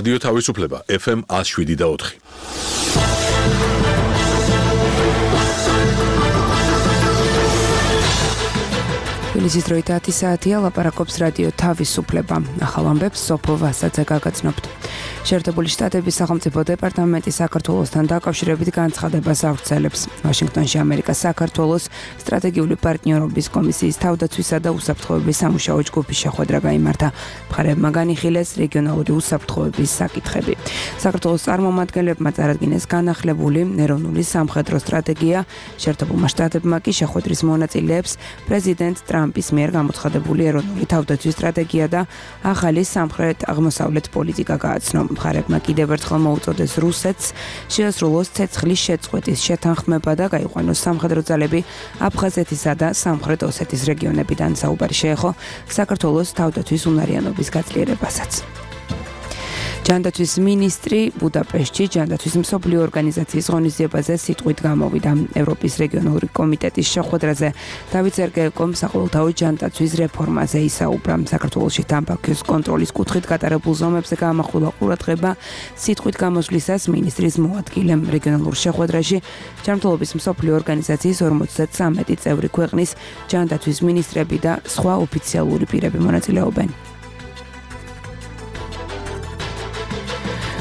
რადიო თავისუფლება FM 107.4. თბილისის დროით 10 საათია, ლაპარაკობს რადიო თავისუფლება. ახალ ამბებს სოფო ვასაძე გაგაცნობთ. შეერთებული შტატების სახელმწიფო დეპარტამენტი საქართველოსთან დაკავშირებით განცხადებას ავრცელებს. ვაშინგტონში ამერიკას საქართველოს სტრატეგიული პარტნიორობის კომისიის თავდაცვისა და უსაფრთხოების სამუშაო ჯგუფის შეხვედრა გაიმართა. მხარეებმა განიხილეს რეგიონალური უსაფრთხოების საკითხები. საქართველოს წარმომადგენლებმა წარადგინეს განახლებული ეროვნული სამხედრო სტრატეგია. შეერთებულმა შტატებმა კი შეხვედრის მონაწილეებს პრეზიდენტ ტრამპის მიერ გამოცხადებული ეროვნული თავდაცვის სტრატეგია და ახალი სამხრეთ-აღმოსავლეთ პოლიტიკა გააცნო. მხარეებმა კიდევ ერთხელ მოუწოდეს რუსეთს შეასრულოს ცეცხლის შეწყვეტის შეთანხმება და გაიყვანოს სამხედრო ძალები აფხაზეთისა და სამხრეთ ოსეთის რეგიონებიდან. საუბარი შეეხო საქართველოს თავდაცვის უნარიანობის გაძლიერებასაც. ჯანდაცვის მინისტრი ბუდაპეშტში ჯანდაცვის მსოფლიო ორგანიზაციის ღონისძიებაზე სიტყვით გამოვიდა. ევროპის რეგიონალური კომიტეტის შეხვედრაზე დავით სერგეევკომ საყოველთაო ჯანდაცვის რეფორმაზე ისაუბრა. საქართველოში თამბაქოს კონტროლის კუთხით გატარებულ ზომებზე გაამახვილა ყურადღება. სიტყვით გამოსვლისას მინისტრის მოადგილემ რეგიონალურ შეხვედრაში ჯანმრთელობის მსოფლიო ორგანიზაციის 53 წევრი ქვეყნის ჯანდაცვის მინისტრები და სხვა ოფიციალური პირები მონაწილეობენ.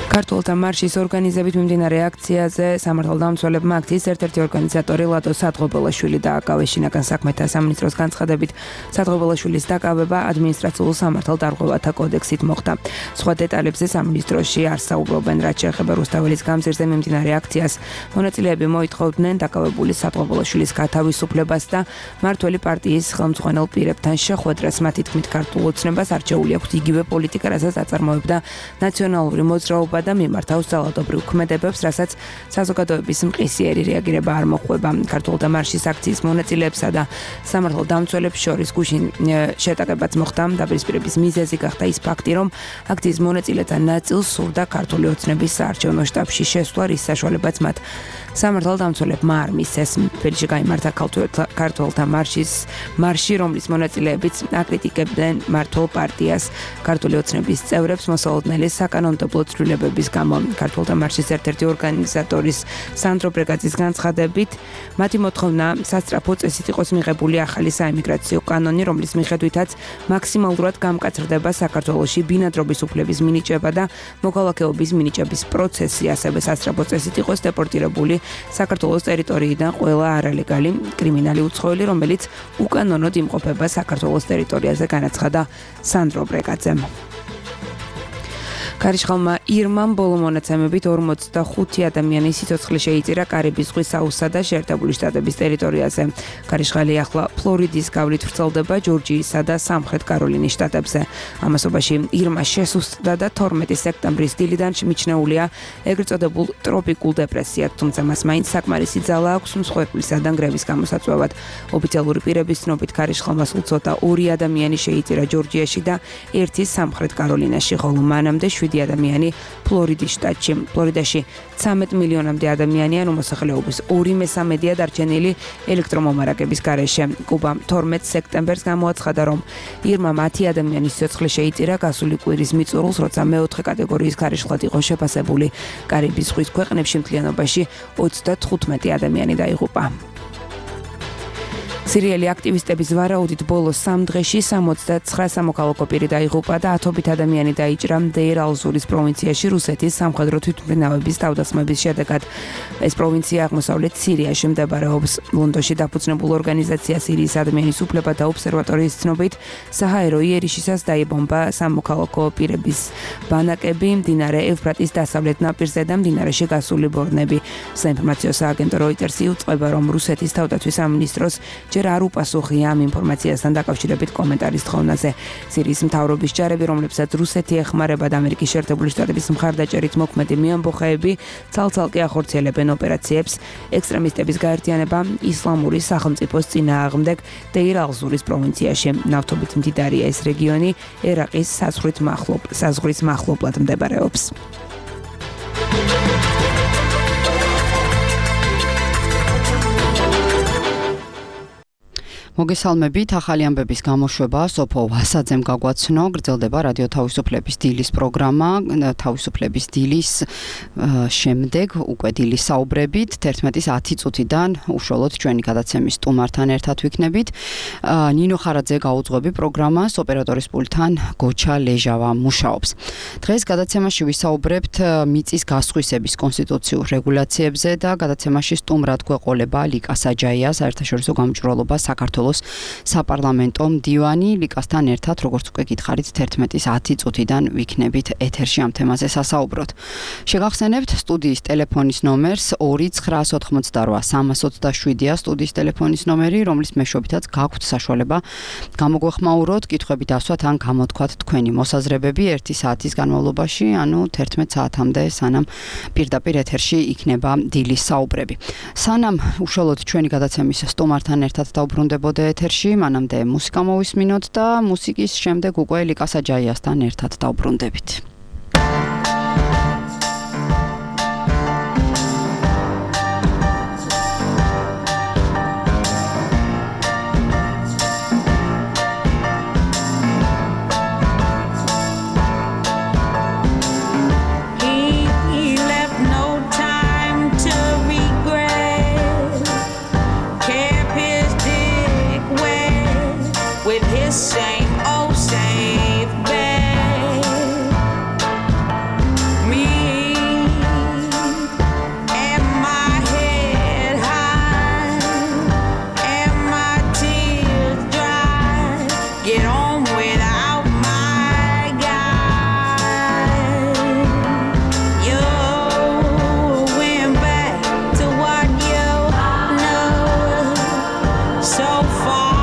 ქართველთა მარშის ორგანიზებით მიმდინარე აქციაზე სამართალდამცველებმა აქციის ერთ-ერთი ორგანიზატორი ლადო სადღობელაშვილი დააკავეს. შინაგან საქმეთა სამინისტროს განცხადებით სადღობელაშვილის დაკავება ადმინისტრაციულ სამართალდარღვევათა კოდექსით მოხდა. სხვა დეტალებზე სამინისტროში არ საუბრობენ. რაც შეეხება რუსთაველის გამზირზე მიმდინარე აქციას, მონაწილეები მოითხოვდნენ დაკავებული სადღობელაშვილის გათავისუფლებას და მმართველი პარტიის ხელმძღვანელ პირებთან შეხვედრას. მათი თქმით, ქართულ ოცნებას არჩეული აქვს იგივე პოლიტიკა, რასაც აწარმოებდა ნაციონალური მოძრაობა და მიმართავს ძალადობრივ ქმედებებს, რასაც საზოგადოების მყისიერი რეაგირება არ მოხვდება. ქართულთა მარშის აქციის მონაწილეებსა და სამართალდამცველებს შორის გუშინ შეტაკებაც მოხდა. დაპირისპირების მიზეზი გახდა ის ფაქტი, რომ აქციის მონაწილეთა ნაწილს სურდა ქართული ოცნების საარჩევნო შტაბში შესვლა, რის საშუალებაც მათ სამართალდამცველებმა არ მისცეს. თბილისში გაიმართა ქართულთა მარში, რომლის მონაწილეებიც აკრიტიკებდნენ მმართველ პარტიას, ქართული ოცნების წევრებს მოსალოდნელი საკანონმდებლო ცვლილებების გამო. ქართულთა მარშის ერთ-ერთი ორგანიზატორის სანდრო ბრეგაძის განცხადებით, მათი მოთხოვნა სასწრაფო წესით იყოს მიღებული ახალი საიმიგრაციო კანონი, რომლის მიხედვითაც მაქსიმალურად გამკაცრდება საქართველოში ბინადრობის უფლების მინიჭება და მოქალაქეობის მინიჭების პროცესი. ასევე სასწრაფო წესით იყოს დეპორტირებული საქართველოს ტერიტორიიდან ყველა არალეგალი კრიმინალი უცხოელი, რომელიც უკანონოდ იმყოფება საქართველოს ტერიტორიაზე, განაცხადა სანდრო ბრეგაძემ. ქარიშხალმა ირმამ ბოლო მონაცემებით 45 ადამიანის სიცოცხლე შეიწირა კარიბის ზღვის აუზსა და შეერთებული შტატების ტერიტორიაზე. ქარიშხალი ახლა ფლორიდის გავლით ვრცელდება ჯორჯიისა და სამხრეთ კაროლინის შტატებზე. ამასობაში ირმა შესუსტდა და 12 სექტემბრის დილიდან მიჩნეულია ეგრეთ წოდებულ ტროპიკულ დეპრესიად, თუმცა მას მაინც საკმარისი ძალა აქვს მსხვერპლისა და ნგრევის გამოსაწვევად. ოფიციალური პირების ცნობით ქარიშხალმა სულ ცოტა 2 ადამიანი შეიწირა ჯორჯიაში და 1 სამხრეთ კაროლინაში, ხოლო მანამდე 7 ადამიანი ფლორიდის შტატში. ფლორიდაში 13 მილიონამდე ადამიანია, მოსახლეობის 2/3-ია დარჩენილი ელექტრომომარაგების გარეშე. კუბამ 12 სექტემბერს გამოაცხადა, რომ ირმა 10 ადამიანის სიცოცხლე შეიწირა გასული კვირის მიწურულს, როცა მეოთხე კატეგორიის ქარიშხლად იყო შეფასებული. კარიბის ზღვის ქვეყნებში მთლიანობაში 35 ადამიანი დაიღუპა. სირიელი აქტივისტების ვარაუდით ბოლო 3 დღეში 69 სამოქალაქო პირი დაიღუპა და 10 ადამიანი დაიჭრა დეირ ალ-ზურის პროვინციაში რუსეთის სამხედრო თვითმფრინავების თავდასხმების შედეგად. ეს პროვინცია აღმოსავლეთ სირიაში მდებარეობს. ლონდონში დაფუძნებულ ორგანიზაცია სირიის ადამიანის უფლებათა ობსერვატორიის ცნობით, საჰაერო იერიშისას დაიბომბა სამოქალაქო პირების ბანაკები მდინარე ევფრატის დასავლეთ ნაპირზე და მდინარეში გასული ბორნები. საინფორმაციო სააგენტო როიტერსი უწყება, რომ რუსეთის თავდაცვის სამინისტროს ჯერ არ უპასუხია ამ ინფორმაციასთან დაკავშირებით კომენტარის თხოვნაზე. სირიის მთავრობის ჯარები, რომლებსაც რუსეთი ეხმარება და ამერიკის შეერთებული შტატების მხარდაჭერით მოქმედი მეამბოხეები, ცალ-ცალკე ახორციელებენ ოპერაციებს ექსტრემისტების გაერთიანება ისლამური სახელმწიფოს წინააღმდეგ დეირ ალ-ზურის პროვინციაში. ნავთობით მდიდარია ეს რეგიონი, ერაყის საზღვრის მახლობლად მდებარეობს. მოგესალმებით, ახალი ამბების გამოშვება სოფო ვასაძემ გაგვაცნო, გრძელდება რადიო თავისუფლების დილის პროგრამა, თავისუფლების დილის შემდეგ უკვე დილის საუბრებით 11:10 წუთიდან უშუალოდ ჩვენი გადაცემის სტუმართან ერთად ვიქნებით. ნინო ხარაძე გაუძღვები პროგრამას, ოპერატორის პულტთან გოჩა ლეჟავა მუშაობს. დღეს გადაცემაში ვისაუბრებთ მიწის გასხვისების კონსტიტუციურ რეგულაციებზე და გადაცემაში სტუმრად გვეყოლება ლიკა საჯაია, საერთაშორისო გამჭვირვალობა საქართველოს საპარლამენტო მდივანი. ლიკასთან ერთად, როგორც უკვე გითხარით, 11:10 წუთიდან ვიქნებით ეთერში ამ თემაზე სასაუბროთ. შეგახსენებთ სტუდიის ტელეფონის ნომერს 2988327-ია სტუდიის ტელეფონის ნომერი, რომლის მეშვეობითაც გაქვთ საშუალება გამოგვეხმაუროთ, კითხვები დასვათ ან გამოთქვათ თქვენი მოსაზრებები 1 საათის განმავლობაში, ანუ 11 საათამდე, სანამ პირდაპირ ეთერში იქნება დილის საუბრები. სანამ უშუალოდ ჩვენი გადაცემის სტუმართან ერთად დავბრუნდებოდეთ ეთერში, მანამდე მუსიკა მოვისმინოთ და მუსიკის შემდეგ უკვე ლიკა საჯაიასთან ერთად დავბრუნდებით. Same old safe bed. Me and my head high and my tears dry. Get on without my guy. You went back to what you know so far.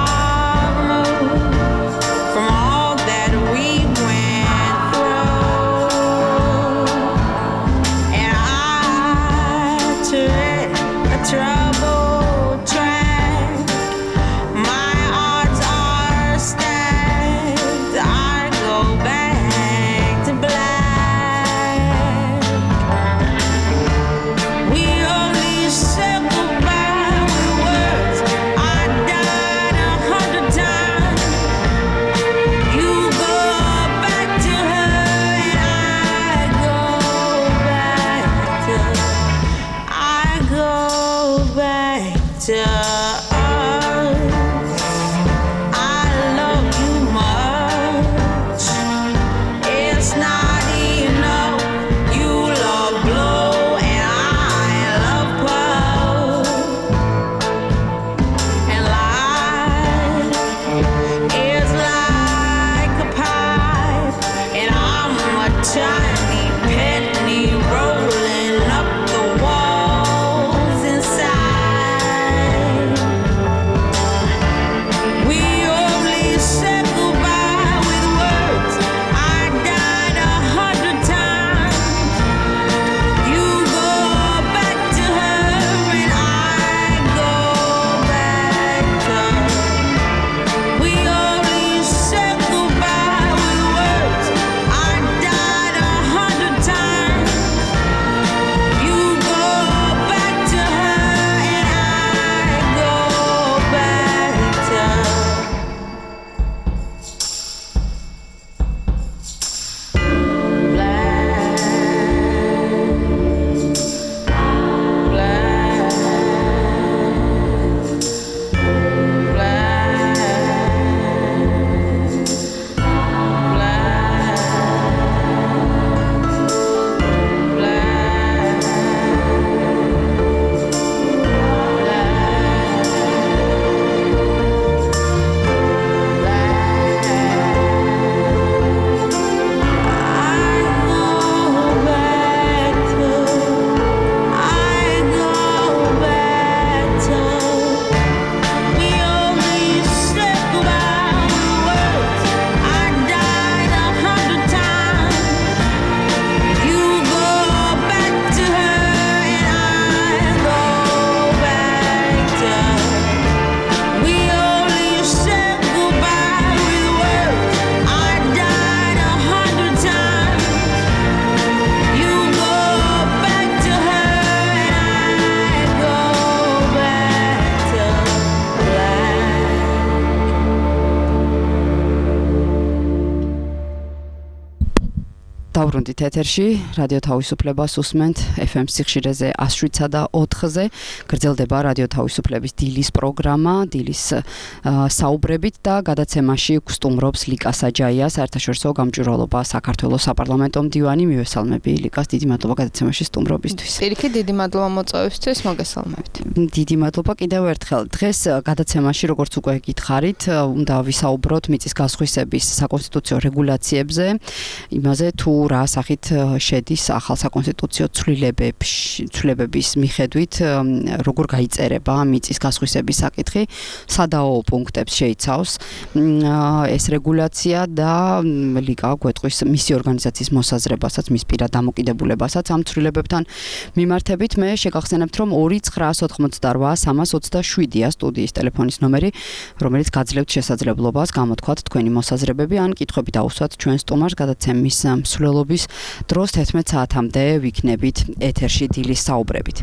Დავბრუნდით ეთერში, რადიო თავისუფლებას უსმენთ FM სიხშირეზე 107.4-ზე. გრძელდება რადიო თავისუფლების დილის პროგრამა, დილის საუბრებით და გადაცემაში გსტუმრობს ლიკა საჯაია, საერთაშორისო გამჭვირვალობა საქართველოს საპარლამენტო მდივანი. მივესალმები ლიკას, დიდი მადლობა გადაცემაში სტუმრობისთვის. პირიქით, დიდი მადლობა მოწვევისთვის, მოგესალმებით. დიდი მადლობა კიდევ ერთხელ. დღეს გადაცემაში, როგორც უკვე გითხარით, უნდა ვისაუბროთ მიწის გასხვისების საკონსტიტუციო რეგულაციებზე, იმაზე თუ რა სახით შედის ახალ საკონსტიტუციო ცვლილებების მიხედვით როგორ გაიწერება მიწის გასხვისების საკითხი, სადაო პუნქტებს შეიცავს ეს რეგულაცია და ლიკა გვეტყვის მისი ორგანიზაციის მოსაზრებასაც, მის პირად დამოკიდებულებასაც ამ ცვლილებებთან მიმართებით. მე შეგახსენებთ, რომ 2988327-ია სტუდიის ტელეფონის ნომერი, რომელიც გაძლევთ შესაძლებლობას გამოთქვათ თქვენი მოსაზრებები ან კითხვები დაუსვათ ჩვენ სტუმარს გადაცემის მსვლელობის დროს 11 საათამდე ვიქნებით ეთერში დილის საუბრებით.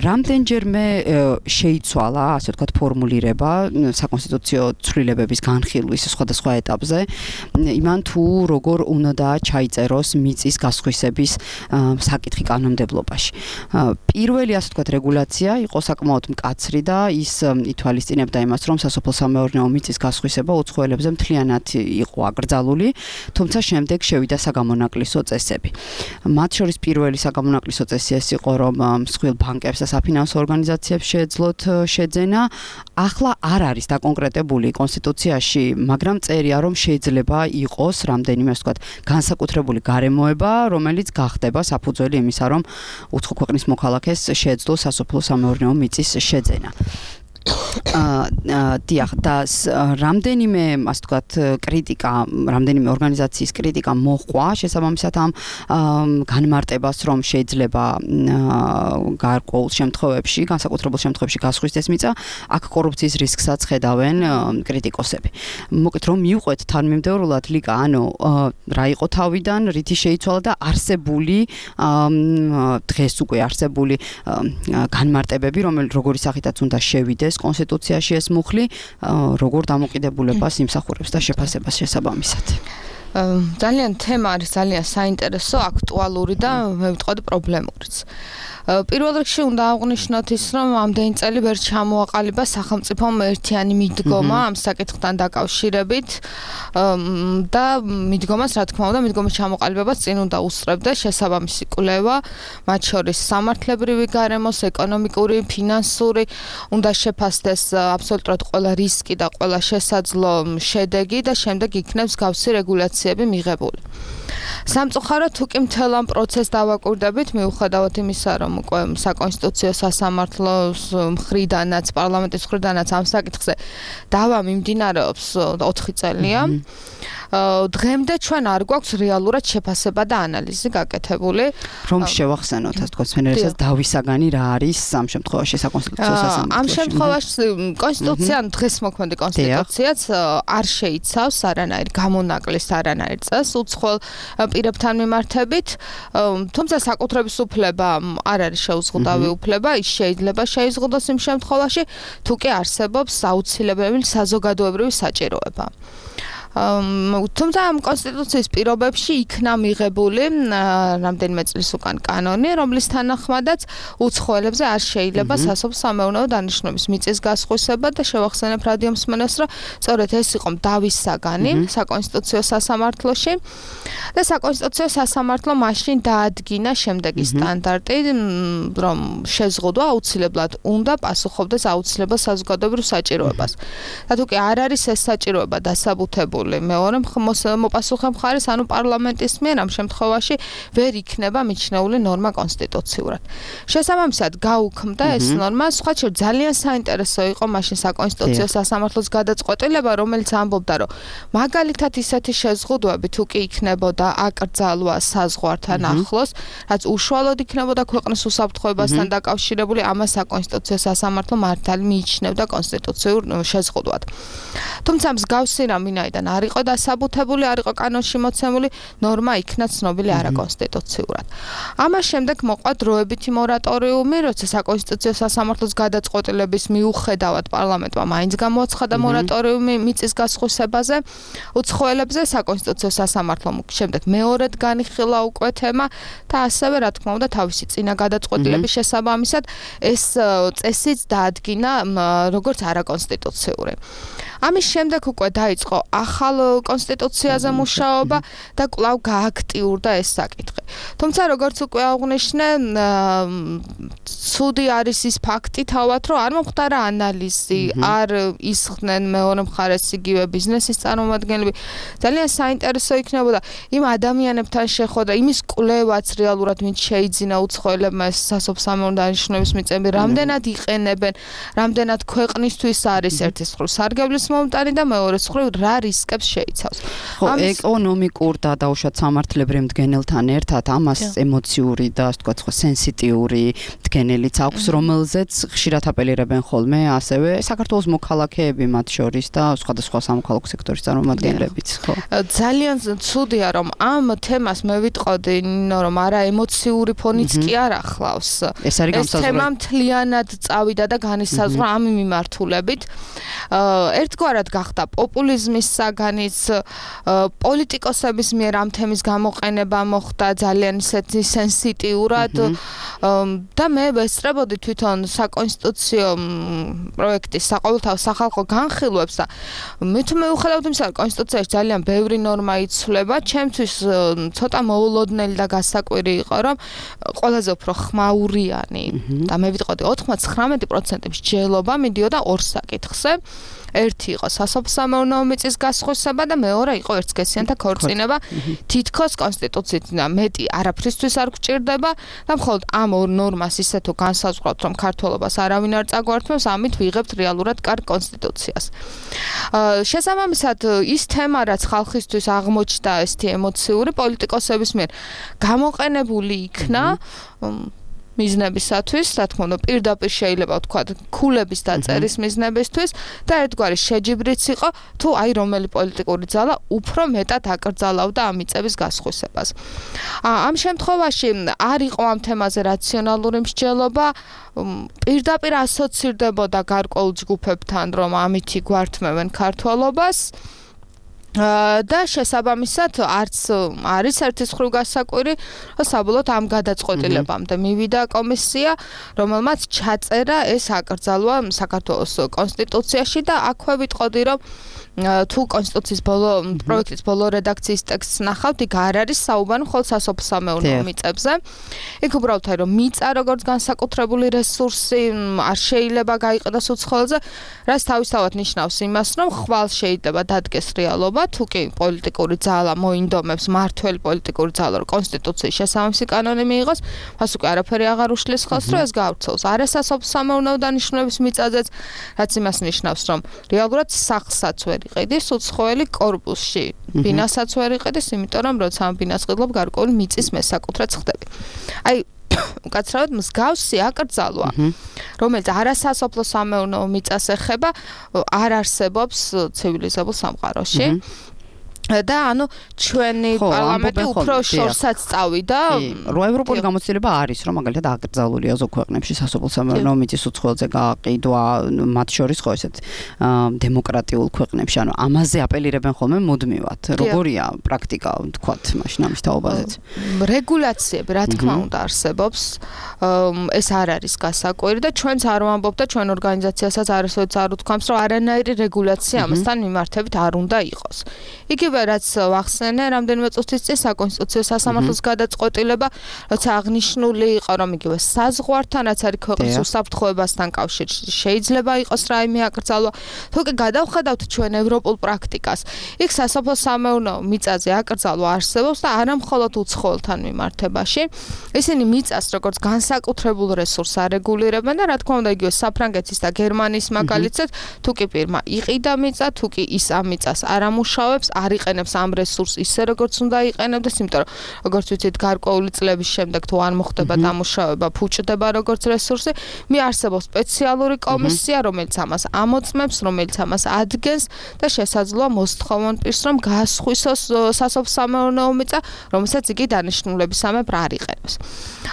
რამდენჯერმე შეიცვალა, ასე ვთქვათ, ფორმულირება საკონსტიტუციო ცვლილებების განხილვის სხვადასხვა ეტაპზე, იმან თუ როგორ უნდა ჩაიწეროს მიწის გასხვისების საკითხი კანონმდებლობაში. პირველი, ასე ვთქვათ, რეგულაცია იყო საკმაოდ მკაცრი და ის ითვალისწინებდა იმას, რომ სასოფლო-სამეურნეო მიწის გასხვისება უცხოელებზე მთლიანად იყო აკრძალული, თუმცა შემდეგ შევიდა საგამონაკლისო წესები. მათ შორის პირველი საგამონაკლისო წესი ეს იყო, რომ მსხვილ ბანკებს და საფინანსო ორგანიზაციებს შეეძლოთ შეძენა. ახლა არ არის დაკონკრეტებული კონსტიტუციაში, მაგრამ წერია, რომ შეიძლება იყოს რამდენიმე, ასე ვთქვათ, განსაკუთრებული გარემოება, რომელიც გახდება საფუძველი იმისა, რომ უცხო ქვეყნის მოქალაქეს შეეძლოს სასოფლო-სამეურნეო მიწის შეძენა. დიახ, და რამდენიმე, ასე ვთქვათ, კრიტიკა, რამდენიმე ორგანიზაციის კრიტიკა მოჰყვა შესაბამისად ამ განმარტებას, რომ შეიძლება გარკვეულ შემთხვევებში, განსაკუთრებულ შემთხვევებში გასხვისდეს მიწა, აქ კორუფციის რისკსაც ხედავენ კრიტიკოსები. მოკეთ რომ მივყვეთ თანმიმდევრულად ლიკა, ანუ რა იყო თავიდან, რითი შეიცვალა და არსებული დღეს უკვე არსებული განმარტებები, როგორი სახითაც უნდა შევიდეს კონსტიტუციაში ეს მუხლი, როგორ დამოკიდებულებას იმსახურებს და შეფასებას შესაბამისად. ძალიან თემა არის ძალიან საინტერესო, აქტუალური და მე ვიტყოდი პრობლემურიც. პირველ რიგში უნდა აღვნიშნოთ ის, რომ ამდენი წელი ვერ ჩამოაყალიბა სახელმწიფომ ერთიანი მიდგომა ამ საკითხთან დაკავშირებით და მიდგომას, რა თქმა უნდა, მიდგომის ჩამოყალიბებას წინ უნდა უსწრებდა შესაბამისი კვლევა, მათ შორის სამართლებრივი გარემოს, ეკონომიკური, ფინანსური, უნდა შეფასდეს აბსოლუტურად ყველა რისკი და ყველა შესაძლო შედეგი და შემდეგ იქნებს გავსი რეგულაციები მიღებული. სამწუხაროდ თუ კი მთელ ამ პროცესს დავაკვირდებით, მიუხედავად იმისა, რომ უკვე საკონსტიტუციო სასამართლოს მხრიდანაც, პარლამენტის მხრიდანაც ამ საკითხზე დავა მიმდინარეობს 4 წელია. დღემდე ჩვენ არ გვაქვს რეალურად შეფასება და ანალიზი გაკეთებული. რომ შევახსენოთ, ასე ვთქვათ, მენერესაც დავისაგანი რა არის ამ შემთხვევაში საკონსტიტუციო სასამართლოში. ამ შემთხვევაში კონსტიტუცია, დღეს მოქმედი კონსტიტუციაც არ შეიცავს არანაირ გამონაკლის არანაირ წესს უცხოელ პირებთან მიმართებით, თუმცა საკუთრების უფლება არ არის შეუზღუდავი უფლება, ის შეიძლება შეიზღუდოს იმ შემთხვევაში, თუ კი არსებობს აუცილებელი საზოგადოებრივი საჭიროება. თუმცა ამ კონსტიტუციის პირობებში იქნა მიღებული რამდენიმე წლის უკან კანონი, რომლის თანახმადაც უცხოელებზე არ შეიძლება სასოფლო-სამეურნეო დანიშნულების მიწის გასხვისება და შევახსენებ რადიო მსმენელს, რომ სწორედ ეს იყო დავის საგანი საკონსტიტუციო სასამართლოში და საკონსტიტუციო სასამართლო მაშინ დაადგინა შემდეგი სტანდარტი, რომ შეზღუდვა აუცილებლად უნდა პასუხობდეს აუცილებელ საზოგადოებრივ საჭიროებას. და თუ კი არ არის ეს საჭიროება დასაბუთებული მეორე მოპასუხე მხარის, ანუ პარლამენტის მიერ ამ შემთხვევაში ვერ იქნება მიჩნეული ნორმა კონსტიტუციურად. შესაბამისად გაუქმდა ეს ნორმა, სხვა შორს ძალიან საინტერესო იყო მაშინ საკონსტიტუციო სასამართლოს გადაწყვეტილება, რომელიც ამბობდა, რომ მაგალითად ისეთი შეზღუდვები თუ კი იქნებოდა აკრძალვა საზღვართან ახლოს, რაც უშუალოდ იქნებოდა ქვეყნის უსაფრთხოებასთან დაკავშირებული, ამას საკონსტიტუციო სასამართლო მართალი მიიჩნევდა კონსტიტუციურ შეზღუდვად. თუმცა მსგავსი რამ ვინაიდან არ იყო დასაბუთებული, არ იყო კანონში მოცემული, ნორმა იქნა ცნობილი არაკონსტიტუციურად. ამას შემდეგ მოყვა დროებითი მორატორიუმი, როცა საკონსტიტუციო სასამართლოს გადაწყვეტილების მიუხედავად პარლამენტმა მაინც გამოაცხადა მორატორიუმი მიწის გასხვისებაზე, უცხოელებზე საკონსტიტუციო სასამართლომ შემდეგ მეორედ განიხილა უკვე თემა და ასევე რა თქმა უნდა თავისი წინა გადაწყვეტილების შესაბამისად ეს წესიც დაადგინა როგორც არაკონსტიტუციური. ამის შემდეგ უკვე დაიწყო ახალ კონსტიტუციაზე მუშაობა და კვლავ გააქტიურდა ეს საკითხი. თუმცა როგორც უკვე აღნიშნე, ცუდი არის ის ფაქტი თავად, რომ არ მომხდარა ანალიზი, არ ისხდნენ მეორე მხარეს იგივე ბიზნესის წარმომადგენლები. ძალიან საინტერესო იქნებოდა იმ ადამიანებთან შეხვედრა, იმის კვლევაც რეალურად ვინც შეიძინა უცხოელებმა ეს სასოფლო-სამეურნეო დანიშნულების მიწები, რამდენად იყენებენ, რამდენად ქვეყნისთვის არის ერთის მხრივ სარგებლის მომტანი და მეორეს მხრივ რა რისკებს შეიცავს. ხო, ეკონომიკურ და დაუშვათ სამართლებრივ მდგენელთან ერთად ამას ემოციური და ასე ვთქვათ, ხო, სენსიტიური მდგენელიც აქვს, რომელზეც ხშირად აპელირებენ ხოლმე ასევე საქართველოს მოქალაქეები მათ შორის და სხვადასხვა სამოქალაქო სექტორის წარმომადგენლებიც, ხო. ძალიან ცუდია, რომ ამ თემას მე ვიტყოდი, რომ არა ემოციური ფონიც კი არ ახლავს. ეს არის გამსაზღვრელი. ეს თემა მთლიანად წავიდა და განისაზღვრა ამ მიმართულებით. ერთგვარად გახდა პოპულიზმის საგანიც, პოლიტიკოსების მიერ ამ თემის გამოყენება მოხდა ძალიან ისეთი სენსიტიურად და მე ვესწრებოდი თვითონ საკონსტიტუციო პროექტის საყოველთაო სახალხო განხილვებს და მე თუ მივუხედავთ იმისა, რომ კონსტიტუციაში ძალიან ბევრი ნორმა იცვლება, ჩემთვის ცოტა მოულოდნელი და გასაკვირი იყო, რომ ყველაზე უფრო ხმაურიანი და მე ვიტყოდი 99% მსჯელობა მიდიოდა ორ საკითხზე. ერთი იყო სასოფლო-სამეურნეო მიწის გასხვისება და მეორე იყო ერთსქესიანთა ქორწინება. თითქოს კონსტიტუციით მეტი არაფრისთვის არ გვჭირდება და მხოლოდ ამ ორ ნორმას ისე თუ განსაზღვრავთ, რომ ქართველობას არავინ არ წაგვართმევს, ამით ვიღებთ რეალურად კარგ კონსტიტუციას. შესაბამისად, ის თემა, რაც ხალხისთვის აღმოჩნდა ესეთი ემოციური პოლიტიკოსების მიერ გამოყენებული იქნა მიზნებისათვის, რა თქმა უნდა, პირდაპირ შეიძლება ვთქვათ, ქულების დაწერის მიზნებისთვის და ერთგვარი შეჯიბრიც იყო, თუ აი რომელი პოლიტიკური ძალა უფრო მეტად აკრძალავდა ამ მიწების გასხვისებას. ამ შემთხვევაში არ იყო ამ თემაზე რაციონალური მსჯელობა, პირდაპირ ასოცირდებოდა გარკვეულ ჯგუფებთან, რომ ამითი გვართმევენ ქართველობას. და შესაბამისად არც არის ერთის მხრივ გასაკვირი, რომ საბოლოოდ ამ გადაწყვეტილებამდე მივიდა კომისია, რომელმაც ჩაწერა ეს აკრძალვა საქართველოს კონსტიტუციაში და აქვე ვიტყოდი, რომ თუ კონსტიტუციის პროექტის ბოლო რედაქციის ტექსტს ნახავთ, იქ არ არის საუბარი მხოლოდ სასოფლო-სამეურნეო მიწებზე. იქ უბრალოდ რომ მიწა როგორც განსაკუთრებული რესურსი არ შეიძლება გაიყიდოს უცხოელზე, რაც თავისთავად ნიშნავს იმას, რომ ხვალ შეიძლება დადგეს რეალობა, თუ კი პოლიტიკური ძალა მოინდომებს, მართველი პოლიტიკური ძალა, რომ კონსტიტუციის შესაბამისი კანონი მიიღოს, მას უკვე არაფერი აღარ უშლის ხელს, რომ ეს გავრცელოს. არა სასოფლო-სამეურნეო დანიშნულების მიწაზეც, რაც იმას ნიშნავს, რომ რეალურად სახსაც ვერ იყიდის უცხოელი კორპუსში. ბინასაც ვერ იყიდის, იმიტომ რომ როცა ამ ბინას ყიდლობ გარკვეული მიწის მესაკუთრეც ხდები. აი უკაცრავად მსგავსი აკრძალვა, რომელიც არასასოფლო-სამეურნეო მიწას ეხება, არ არსებობს ცივილიზებულ სამყაროში. და ანუ ჩვენი პარლამენტი უფრო შორსაც წავიდა. რო ევროპული გამოცდილება არის, რომ მაგალითად აკრძალულია ზოგ ქვეყნებში სასოფლო-სამეურნეო მიწის უცხოელზე გაყიდვა, მათ შორის ხო ესეთ დემოკრატიულ ქვეყნებში, ანუ ამაზე აპელირებენ ხოლმე მუდმივად. როგორია პრაქტიკა, თქვათ, მაშინ ამის თაობაზეც? რეგულაციები, რა თქმა უნდა, არსებობს. ეს არ არის გასაკვირი და ჩვენც არ ვამბობ და ჩვენ ორგანიზაციასაც არასოდეს არ უთქვამს, რომ არანაირი რეგულაცია ამასთან მიმართებით არ უნდა იყოს. იგივე რაც ვახსენე, რამდენიმე წუთის წინ საკონსტიტუციო სასამართლოს გადაწყვეტილება, როცა აღნიშნული იყო, რომ იგივე საზღვართან, რაც არის ქვეყნის უსაფრთხოებასთან კავშირში, შეიძლება იყოს რაიმე აკრძალვა. თუ კი გადავხედავთ ჩვენ ევროპულ პრაქტიკას, იქ სასოფლო-სამეურნეო მიწაზე აკრძალვა არსებობს და არა მხოლოდ უცხოელთან მიმართებაში. ისინი მიწას როგორც განსაკუთრებულ რესურსს არეგულირებენ და რა თქმა უნდა იგივე საფრანგეთის და გერმანიის მაგალითად, თუ კი პირმა იყიდა მიწა, თუ კი ის ამ მიწას არ ამუშავებს, არ აიყენებს ამ რესურსს ისე როგორც უნდა აიყენებდეს, იმიტომ რომ როგორც ვიცით, გარკვეული წლების შემდეგ თუ არ მოხდება დამუშავება, ფუჭდება როგორც რესურსი, მიარსებობს სპეციალური კომისია, რომელიც ამას ამოწმებს, რომელიც ამას ადგენს და შესაძლოა მოსთხოვონ პირს, რომ გაასხვისოს სასოფლო-სამეურნეო მიწა, რომელსაც იგი დანიშნულებისამებრ არ იყენებს.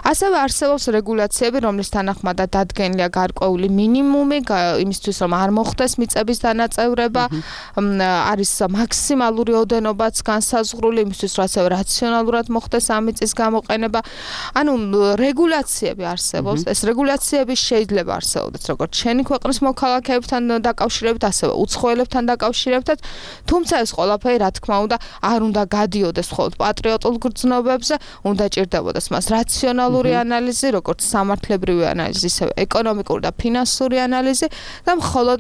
ასევე არსებობს რეგულაციები, რომლის თანახმადაც დადგენილია გარკვეული მინიმუმი იმისთვის, რომ არ მოხდეს მიწების დანაწევრება, არის მაქსიმალური ოდენობაც განსაზღვრული იმისთვის, რომ ასევე რაციონალურად მოხდეს ამ მიწის გამოყენება. ანუ რეგულაციები არსებობს, ეს რეგულაციები შეიძლება არსებობდეს როგორც შენი ქვეყნის მოქალაქეებთან დაკავშირებით, ასევე უცხოელებთან დაკავშირებით, თუმცა ეს ყველაფერი რა თქმა უნდა არ უნდა გადიოდეს მხოლოდ პატრიოტულ გრძნობებზე, უნდა ჭირდებოდეს მას რაციონალური ანალიზი, როგორც სამართლებრივი ანალიზი, ისევე ეკონომიკური და ფინანსური ანალიზი და მხოლოდ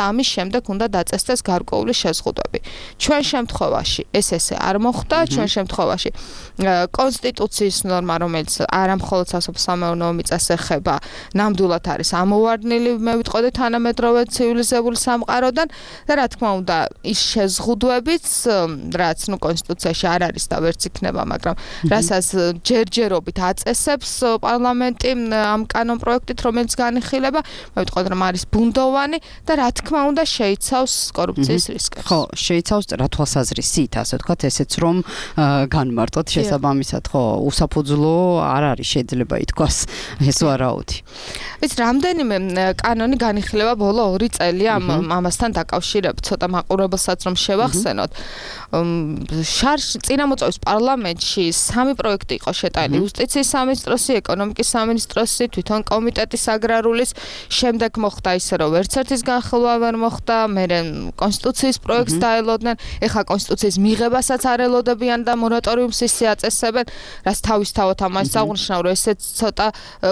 ამის შემდეგ უნდა დაწესდეს გარკვეული შეზღუდვები. ჩვენ შემთხვევაში ეს ესე არ მოხდა, ჩვენ შემთხვევაში კონსტიტუციის ნორმა, რომელიც არა მხოლოდ სასოფლო-სამეურნეო მიწას ეხება, ნამდვილად არის ამოვარდნილი, მე ვიტყოდი თანამედროვე ცივილიზებული სამყაროდან და რა თქმა უნდა, ის შეზღუდვებიც, რაც კონსტიტუციაში არ არის და ვერც იქნება, მაგრამ რასაც ჯერჯერობით აწესებს პარლამენტი ამ კანონპროექტით, რომელიც განიხილება, მე ვიტყოდი, რომ არის ბუნდოვანი და რა თქმა უნდა შეიცავს კორუფციის რისკებს. ხო, შეიცავს რა თვალსაზრისით, ასე ვთქვათ, ესეც რომ განმარტოთ შესაბამისად, ხო, უსაფუძვლო არ არის შეიძლება ითქვას ეს ვარაუდი. ეს რამდენიმე კანონი განიხილება ბოლო 2 წელი ამასთან დაკავშირებით, ცოტა მაყურებელსაც რომ შევახსენოთ. წინამოწვევის პარლამენტში 3 პროექტი იყო შეტანილი, იუსტიციის სამინისტროსი, ეკონომიკის სამინისტროსი, თვითონ კომიტეტის აგრარულის, შემდეგ მოხდა ისე რომ ვერც ერთის განხილვა ვერ მოხდა, მერე კონსტიტუციის პროექტს დაელოდნენ, ეხლა კონსტიტუციის მიღებასაც არ ელოდებიან და მორატორიუმს ისე აწესებენ, რაც თავისთავად ამას აღნიშნავ, რომ ესეც ცოტა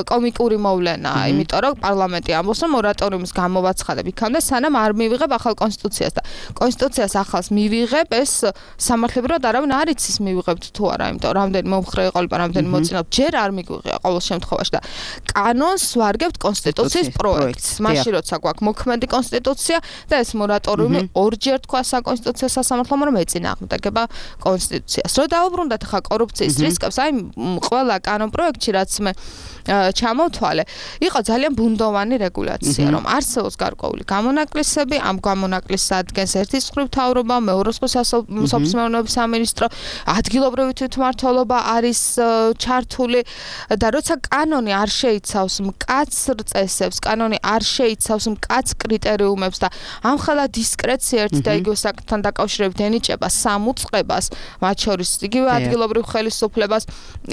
კომიკური მოვლენაა, იმიტომ რომ პარლამენტი ამბობს, რომ მორატორიუმის გამოვაცხადებ იქამდე, სანამ არ მივიღებ ახალ კონსტიტუციას და კონსტიტუციას ახალს მივიღებ, ეს სამართლებრივად არავინ არ იცის მივიღებთ თუ არა, იმიტომ რომ რამდენი მომხრე იყოლება, რამდენი მოწინავთ, ჯერ არ მიგვიღია ყოველ შემთხვევაში და კანონს ვარგებთ კონსტიტუციის პროექტს. მაშინ როცა გვაქვს მოქმედი კონსტიტუცია და ეს მორატორიუმი ორჯერ თქვა საკონსტიტუციო სასამართლომ, რომ ეწინააღმდეგება კონსტიტუციას. რო დავუბრუნდეთ ახლა კორუფციის რისკებს, აი ყველა კანონპროექტში რაც მე ჩამოვთვალე, იყო ძალიან ბუნდოვანი რეგულაცია, რომ არსებობს გარკვეული გამონაკლისები, ამ გამონაკლისს ადგენს ერთის მხრივ მთავრობა, მეორე მხრივ სასოფლო-სამეურნეო სამინისტრო, ადგილობრივი თვითმმართველობა არის ჩართული და როცა კანონი არ შეიცავს მკაცრ წესებს, კანონი არ შეიცავს მკაც კრიტერიუმებს და ამხელა დისკრეცია ერთ და იგივე საკითხთან დაკავშირებით ენიჭება სამუწყებას, მათ შორის იგივე ადგილობრივ ხელისუფლებას,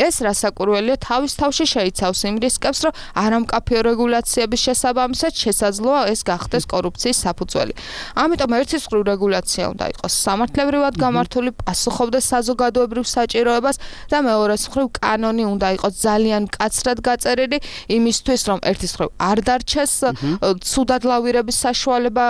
ეს რასაკვირველია თავის თავში შეიცავს იმ რისკებს, რომ არამკაფიო რეგულაციების შესაბამისად შესაძლოა ეს გახდეს კორუფციის საფუძველი. ამიტომ ერთის მხრივ რეგულაცია უნდა იყოს სამართლებრივად გამართული, პასუხობდეს საზოგადოებრივ საჭიროებას და მეორეს მხრივ კანონი უნდა იყოს ძალიან მკაცრად გაწერილი იმისთვის, რომ ერთის მხრივ არ დარჩეს ცუდად ლავირების საშუალება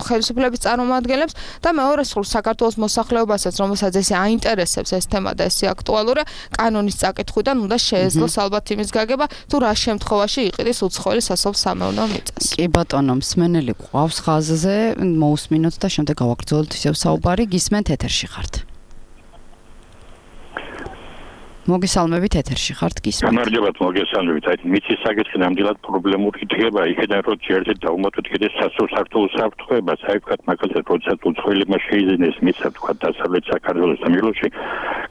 ხელისუფლების წარმომადგენლებს და მეორეს მხრივ საქართველოს მოსახლეობასაც, რომელსაც ესე აინტერესებს ეს თემა და ესე აქტუალურია, კანონის წაკითხვიდან უნდა შეეძლოს ალბათ იმის გაგება, თუ რა შემთხვევაში იყიდეს უცხოელი სასოფლო-სამეურნეო მიწას. კი ბატონო, მსმენელი ყავს ხაზზე, მოусმინოთ და შემდეგ გავაგრძელებთ ისევ საუბარი, გისმენთ ეთერში ხართ. მოგესალმებით ეთერში ხართ, გისმენთ. გამარჯობათ, მოგესალმებით. აი მიწის საკითხი ნამდვილად პრობლემური იქნება, იქიდან რო ჯერჯერ დავუმატოთ კიდე სასოფლო საფრთხეებას, აი ვთქვათ, მაგალითად, როდესაც უცხოელებმა შეიძინეს მიწა, ვთქვათ, დასავლეთ საქართველოს და მილოში,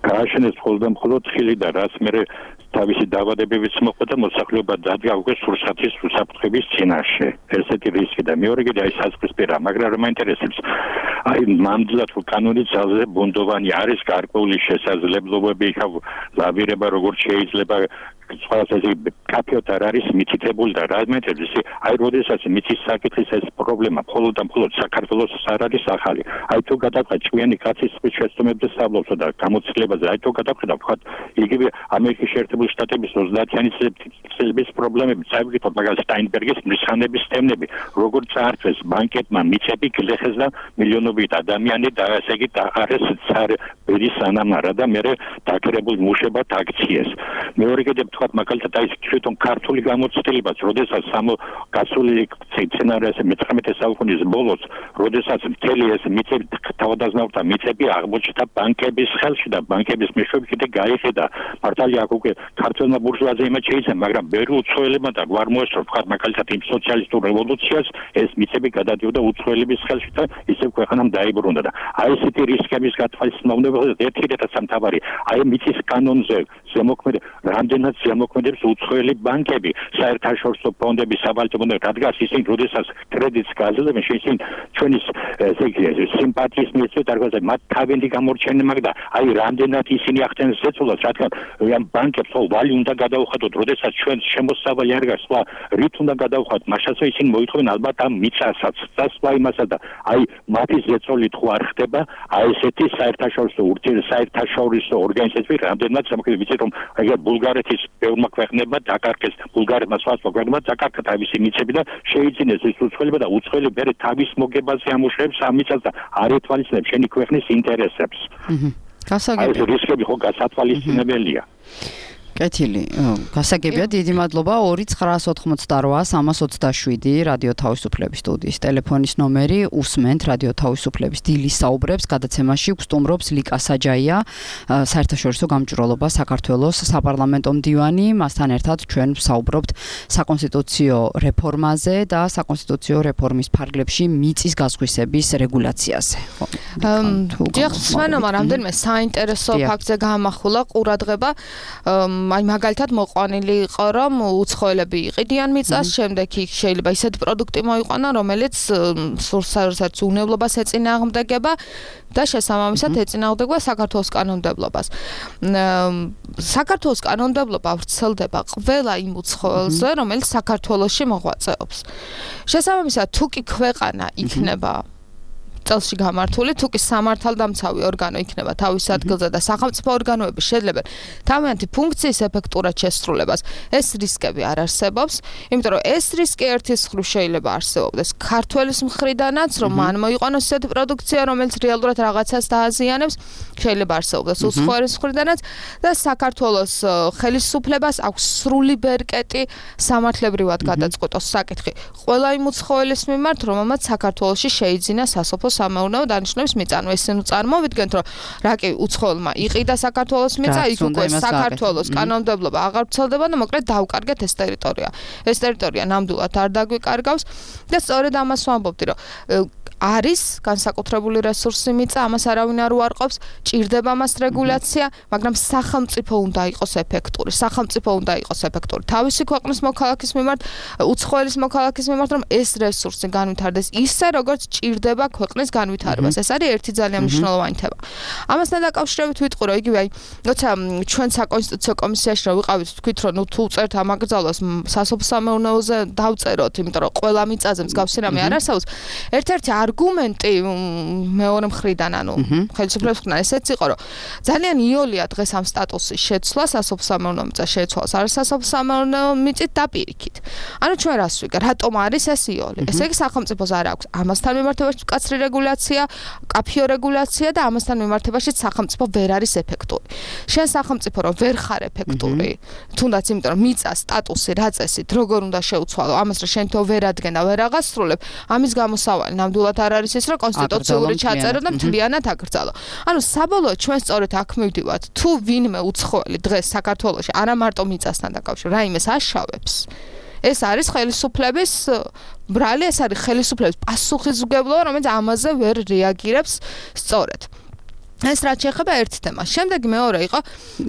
გააშენეს მხოლოდ და მხოლოდ ხილი და რაც მერე თავისი დაავადებებიც მოხდა და მოსახლეობა დადგა უკვე სურსათის უსაფრთხოების წინაშე. ესეთი რისკი და მეორე კიდე აი საზღვრისპირა, მაგრამ რა მაინტერესებს, აი ნამდვილად კანონის ძალზე ბუნდოვანი არის გარკვეული შესაძლებლობები, იქა ლავირება როგორც შეიძლება სხვადასხვა კაფეოთ არ არის მითითებული და რა მეტებს აი როდესაც მიწის საკითხის ეს პრობლემა მხოლოდ და მხოლოდ საქართველოს არ არის ახალი. აი თუ გადავხედავ ჭვიანი კაცის შეცდომებზე სწავლობსო და გამოცდილებაზე აი თუ გადავხედავ ვთქვათ იგივე ამერიკის შეერთებული შტატების 30-იანი წლების პრობლემები წავიკითხოთ მაგალითად სტაინბერგის მრისხანების თემები როგორ წაართვეს ბანკეტმა მიწები გლეხეს და მილიონობით ადამიანი და ესე იგი დაარეს ცარ ბერის ანამარა და მე დაკრებულ მუშებად აქციეს. მეორე კიდევ თქვა მაგალითად აი თვითონ ქართული გამოცდილებაც, როდესაც გასული სცენარიაზე 19 საუკუნის ბოლოს, როდესაც მთელი ეს მიწები თავადაზნაურთა მიწები აღმოჩნდა ბანკების ხელში და ბანკების მეშვეობით კიდე გაიხედა. მართალია აქ უკვე ქართველმა ბურჟუაზიებმა შეიცვალა, მაგრამ ბევრი უცხოელებმა და გვარ მოესწრო თქვა მაგალითად იმ სოციალისტურ რევოლუციას ეს მიწები გადადიოდა უცხოელების ხელში და ისევ ქვეყანამ დაიბრუნდა და აი ესეთი რისკების გათვალისწინებელად ერთი და სამთავარი აი მიწის კანონზე ზემოქმედებს რამდენად ზემოქმედებს უცხოელი ბანკები საერთაშორისო ფონდები საბალტიო ფონდები რადგან ისინი როდესაც კრედიტს გაძლევენ შეიძლება ჩვენი სიმპათიის მიეცეთ არგაზე მათ თავენდი გამორჩენენ მაგ და აი რამდენად ისინი ახდენენ ზეწოლას რადგან ამ ბანკებს ვალი უნდა გადაუხადოთ როდესაც ჩვენ შემოსავალი არ გაქვს სხვა რით უნდა გადაუხადოთ მაშასო ისინი მოითხოვენ ალბათ ამ მიწასაც და სხვა იმასაც და აი მათი ზეწოლით ხო არ ხდება აი ესეთი საერთაშორისო ორგანიზაციები რამდენად სამოქმედო ვიცით რომ აი ბულგარეთის ბევრმა ქვეყნებმა დაკარგეს ბულგარეთმა სხვა ქვეყნებმა დაკარგა თავისი მიწები და შეიძინეს ეს უცხოელება და უცხოელი ბერე თავის მოგებაზე ამუშავებს ამ მიწას და არ ეთვალისწინებს შენი ქვეყნის ინტერესებს. გასაგებია. ეს რისკები ხო გასათვალისწინებელია. კეთილი, გასაგებია, დიდი მადლობა 2988 რადიო თავისუფლების სტუდიის ტელეფონის ნომერი, უსმენთ რადიო თავისუფლების დილის საუბრებს, გადაცემაში გსტუმრობს ლიკა საჯაია, საერთაშორისო გამჭვირვალობა საქართველოს საპარლამენტო მდივანი, მასთან ერთად ჩვენ ვსაუბრობთ საკონსტიტუციო რეფორმაზე და საკონსტიტუციო რეფორმის ფარგლებში მიწის გასხვისების რეგულაციაზე. დიახ, სვანომა რამდენიმე საინტერესო ფაქტზე გაამახვილა ყურადღება აი მაგალითად მოყვანილი იყო რომ უცხოელები იყიდიან მიწას, შემდეგ იქ შეიძლება ისეთი პროდუქტი მოიყვანონ, რომელიც სურსაერსაც უნებლობას ეწინააღმდეგება და შესაბამისად ეწინააღმდეგება საქართველოს კანონმდებლობას. საქართველოს კანონმდებლობა ვრცელდება ყველა იმ უცხოელზე, რომელიც საქართველოში მოღვაწეობს. შესაბამისად თუ კი ქვეყანა იქნება წელში გამართული, თუ კი სამართალდამცავი ორგანო იქნება თავის ადგილზე და სახელმწიფო ორგანოები შეძლებენ თავიანთი ფუნქციის ეფექტურად შესრულებას, ეს რისკები არ არსებობს, იმიტომ რომ ეს რისკი ერთის მხრივ შეიძლება არსებობდეს ქართველის მხრიდანაც, რომ მან მოიყვანოს ესეთი პროდუქცია, რომელიც რეალურად რაღაცას დააზიანებს, შეიძლება არსებობდეს უცხოელის მხრიდანაც და საქართველოს ხელისუფლებას აქვს სრული ბერკეტი სამართლებრივად გადაწყვეტოს საკითხი ყველა იმ უცხოელის მიმართ, რომელმაც საქართველოში შეიძინა სასოფლო სამეურნეო დანიშნულების მიწა. Ესენ წარმოვიდგენთ, რომ რაკი უცხოელმა იყიდა საქართველოს მიწა, იქ უკვე საქართველოს კანონმდებლობა აღარ ვრცელდება და მოკლედ დავკარგეთ ეს ტერიტორია. ეს ტერიტორია ნამდვილად არ დაგვიკარგავს და სწორედ ამას ვამბობდი, რომ არის განსაკუთრებული რესურსი მიწა, ამას არავინ არ უარყოფს, ჭირდება მას რეგულაცია, მაგრამ სახელმწიფო უნდა იყოს ეფექტური. სახელმწიფო უნდა იყოს ეფექტური. თავისი ქვეყნის მოქალაქის მიმართ, უცხოელის მოქალაქის მიმართ, რომ ეს რესურსი განვითარდეს ისე, როგორც ჭირდება ქვეყნის განვითარებას. ეს არის ერთი ძალიან მნიშვნელოვანი თემა. ამასთან დაკავშირებით ვიტყვი, რომ იგივე აი, როცა ჩვენ საკონსტიტუციო კომისიაში რომ ვიყავით, თქვით, რომ თუ წერთ ამ აკრძალვას სასოფლო სამეურნეოზე დავწეროთ, იმიტომ რომ ყველა მიწაზე მსგავსი რამე არ არსებობს. ერთ-ერთი არგუმენტი მეორე მხრიდან, ანუ ხელისუფლების მხრიდან ესეც იყო, რომ ძალიან იოლია დღეს ამ სტატუსის შეცვლა, სასოფლო სამეურნეო მიწა შეცვალა არასასოფლო სამეურნეო მიწით დაპირიქით. ანუ ჩვენ რას ვიგებ, რატომ არის ეს იოლი? ესე იგი სახელმწიფოს არ აქვს ამასთან მიმართებაში მკაცრი რეგულაცია, კაფიო რეგულაცია და ამასთან მიმართებაში სახელმწიფო ვერ არის ეფექტური. შენ სახელმწიფო რომ ვერ ხარ ეფექტური, თუნდაც იმიტომ რომ მიწა სტატუსი რა წესით, როგორ უნდა შეუცვალო, ამას რა შენ თო ვერ ადგენ და ვერ აღასრულებ, ამის გამოსავალი ნამდვილად არ არის ის, რომ კონსტიტუციური ჩაწერო და მთლიანად აკრძალო. ანუ საბოლოოდ ჩვენ სწორედ აქ მივდივართ, თუ ვინმე უცხოელი დღეს საქართველოში არა მარტო მიწასთან დაკავშირებით, რაიმეს აშავებს. ეს არის ხელისუფლების ბრალი, ეს არის ხელისუფლების პასუხისმგებლობა, რომელიც ამაზე ვერ რეაგირებს სწორედ. ეს რაც შეეხება ერთ თემას. შემდეგ მეორე იყო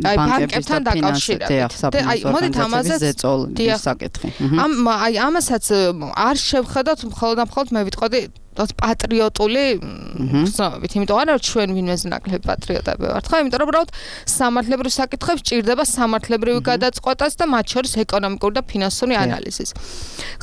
აი ბანკებთან დაკავშირებით. აი მოდით ამაზე საკითხი. აი ამასაც არ შევხედოთ მხოლოდ მე ვიტყოდი პატრიოტული გზნობებით, იმიტომ არა რომ ჩვენ ვინმეზე ნაკლები პატრიოტები ვართ, ხო? იმიტომ რომ უბრალოდ სამართლებრივ საკითხებს ჭირდება სამართლებრივი გადაწყვეტას და მათ შორის ეკონომიკური და ფინანსური ანალიზის.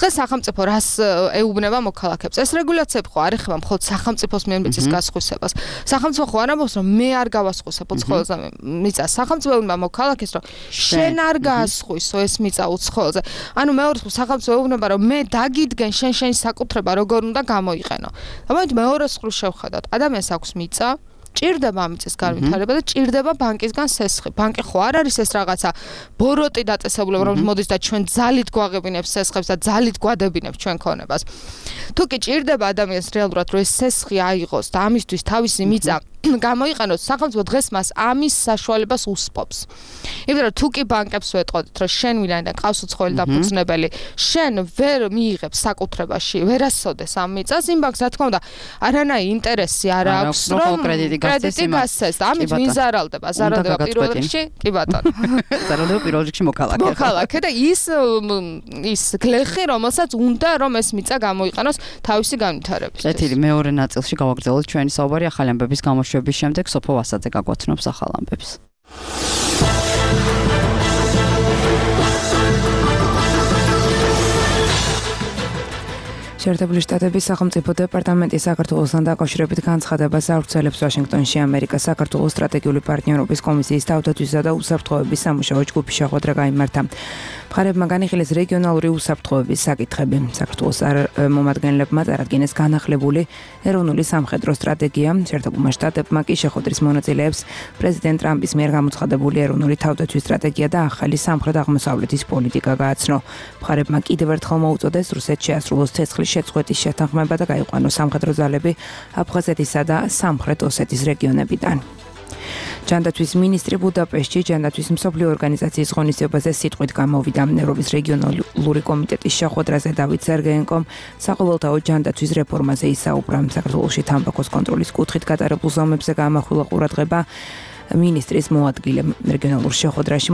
დღეს სახელმწიფო რას ეუბნება მოქალაქეებს? ეს რეგულაციები ხო არ ეხება მხოლოდ სახელმწიფოს მიერ მიწის გასხვისებას. სახელმწიფო ხო არ ამბობს რომ მე არ გავასხვისებ უცხოელზე მიწას. სახელმწიფო ეუბნება მოქალაქეს რომ შენ არ გაასხვისო ეს მიწა უცხოელზე. ანუ მეორე სახელმწიფო ეუბნება რომ მე დაგიდგენ შენი საკუთრება როგორ უნდა გამოიყენო. ამიტომ მეორე მხრივ შევხედოთ, ადამიანს აქვს მიწა, ჭირდება ამიწის განვითარება და ჭირდება ბანკისგან სესხი. ბანკი ხო არ არის ეს რაღაცა ბოროტი დაწესებულება, რომელიც მოდის და ჩვენ ძალით გვაღებინებს სესხებს და ძალით გვადებინებს ჩვენ ქონებას. თუ კი ჭირდება ადამიანს რეალურად რომ ეს სესხი აიღოს და ამისთვის თავისი მიწა გამოიყენოს, სახელმწიფო დღეს მას ამის საშუალებას უსპობს. იმიტომ რომ თუ კი ბანკებს ვეტყოდით, რომ შენ ვინაიდან ყავს უცხოელი დაფუძნებელი, შენ ვერ მიიღებ საკუთრებაში, ვერასოდეს ამ მიწას, იმ ბანკს რა თქმა უნდა, არანაირი ინტერესი არ აქვს, რომ კრედიტი გასცეს და ამით ვიზარალდება, ზარალდება პირველ რიგში, კი ბატონო. ზარალდება პირველ რიგში მოქალაქე. მოქალაქე და ის გლეხი, რომელსაც უნდა რომ ეს მიწა გამოიყენოს თავისი განვითარებისთვის. წეთილი მეორე ნაწილში გავაგრძელოთ ჩვენი საუბარი ახალი ამბების გამოშვების შემდეგ სოფო ვასაძე გაგვაცნობს ახალ ამბებს. შეერთებული შტატების სახელმწიფო დეპარტამენტი საქართველოსთან დაკავშირებით განცხადებას ავრცელებს ვაშინგტონში ამერიკას საქართველოს სტრატეგიული პარტნიორობის კომისიის თავდაცვისა და უსაფრთხოების სამუშაო ჯგუფის შეხვედრა გაიმართა. მხარეებმა განიხილეს რეგიონალური უსაფრთხოების საკითხები. საქართველოს მომადგენლებმა წარადგინეს განახლებული ეროვნული სამხედრო სტრატეგია. შეერთებულმა შტატებმა კი შეხვედრის მონაწილეებს პრეზიდენტ ტრამპის მიერ გამოცხადებული ეროვნული თავდაცვის სტრატეგია და ახალი სამხრეთ-აღმოსავლეთის პოლიტიკა გააცნო. მხარეებმა კიდევ ერთხელ მოუწოდეს რუსეთს შეასრულოს ცეცხლის შეწყვეტის შეთანხმება და გაიყვანოს სამხედრო ძალები აფხაზეთისა და სამხრეთ ოსეთის რეგიონებიდან. ჯანდაცვის მინისტრი ბუდაპეშტში ჯანდაცვის მსოფლიო ორგანიზაციის ღონისძიებაზე სიტყვით გამოვიდა. ევროპის რეგიონალური კომიტეტის შეხვედრაზე დავით სერგეენკომ საყოველთაო ჯანდაცვის რეფორმაზე ისაუბრა. საქართველოში თამბაქოს კონტროლის კუთხით გატარებულ ზომებზე გაამახვილა ყურადღება ministris მოადგილე რეგიონალურ შეხვედრაში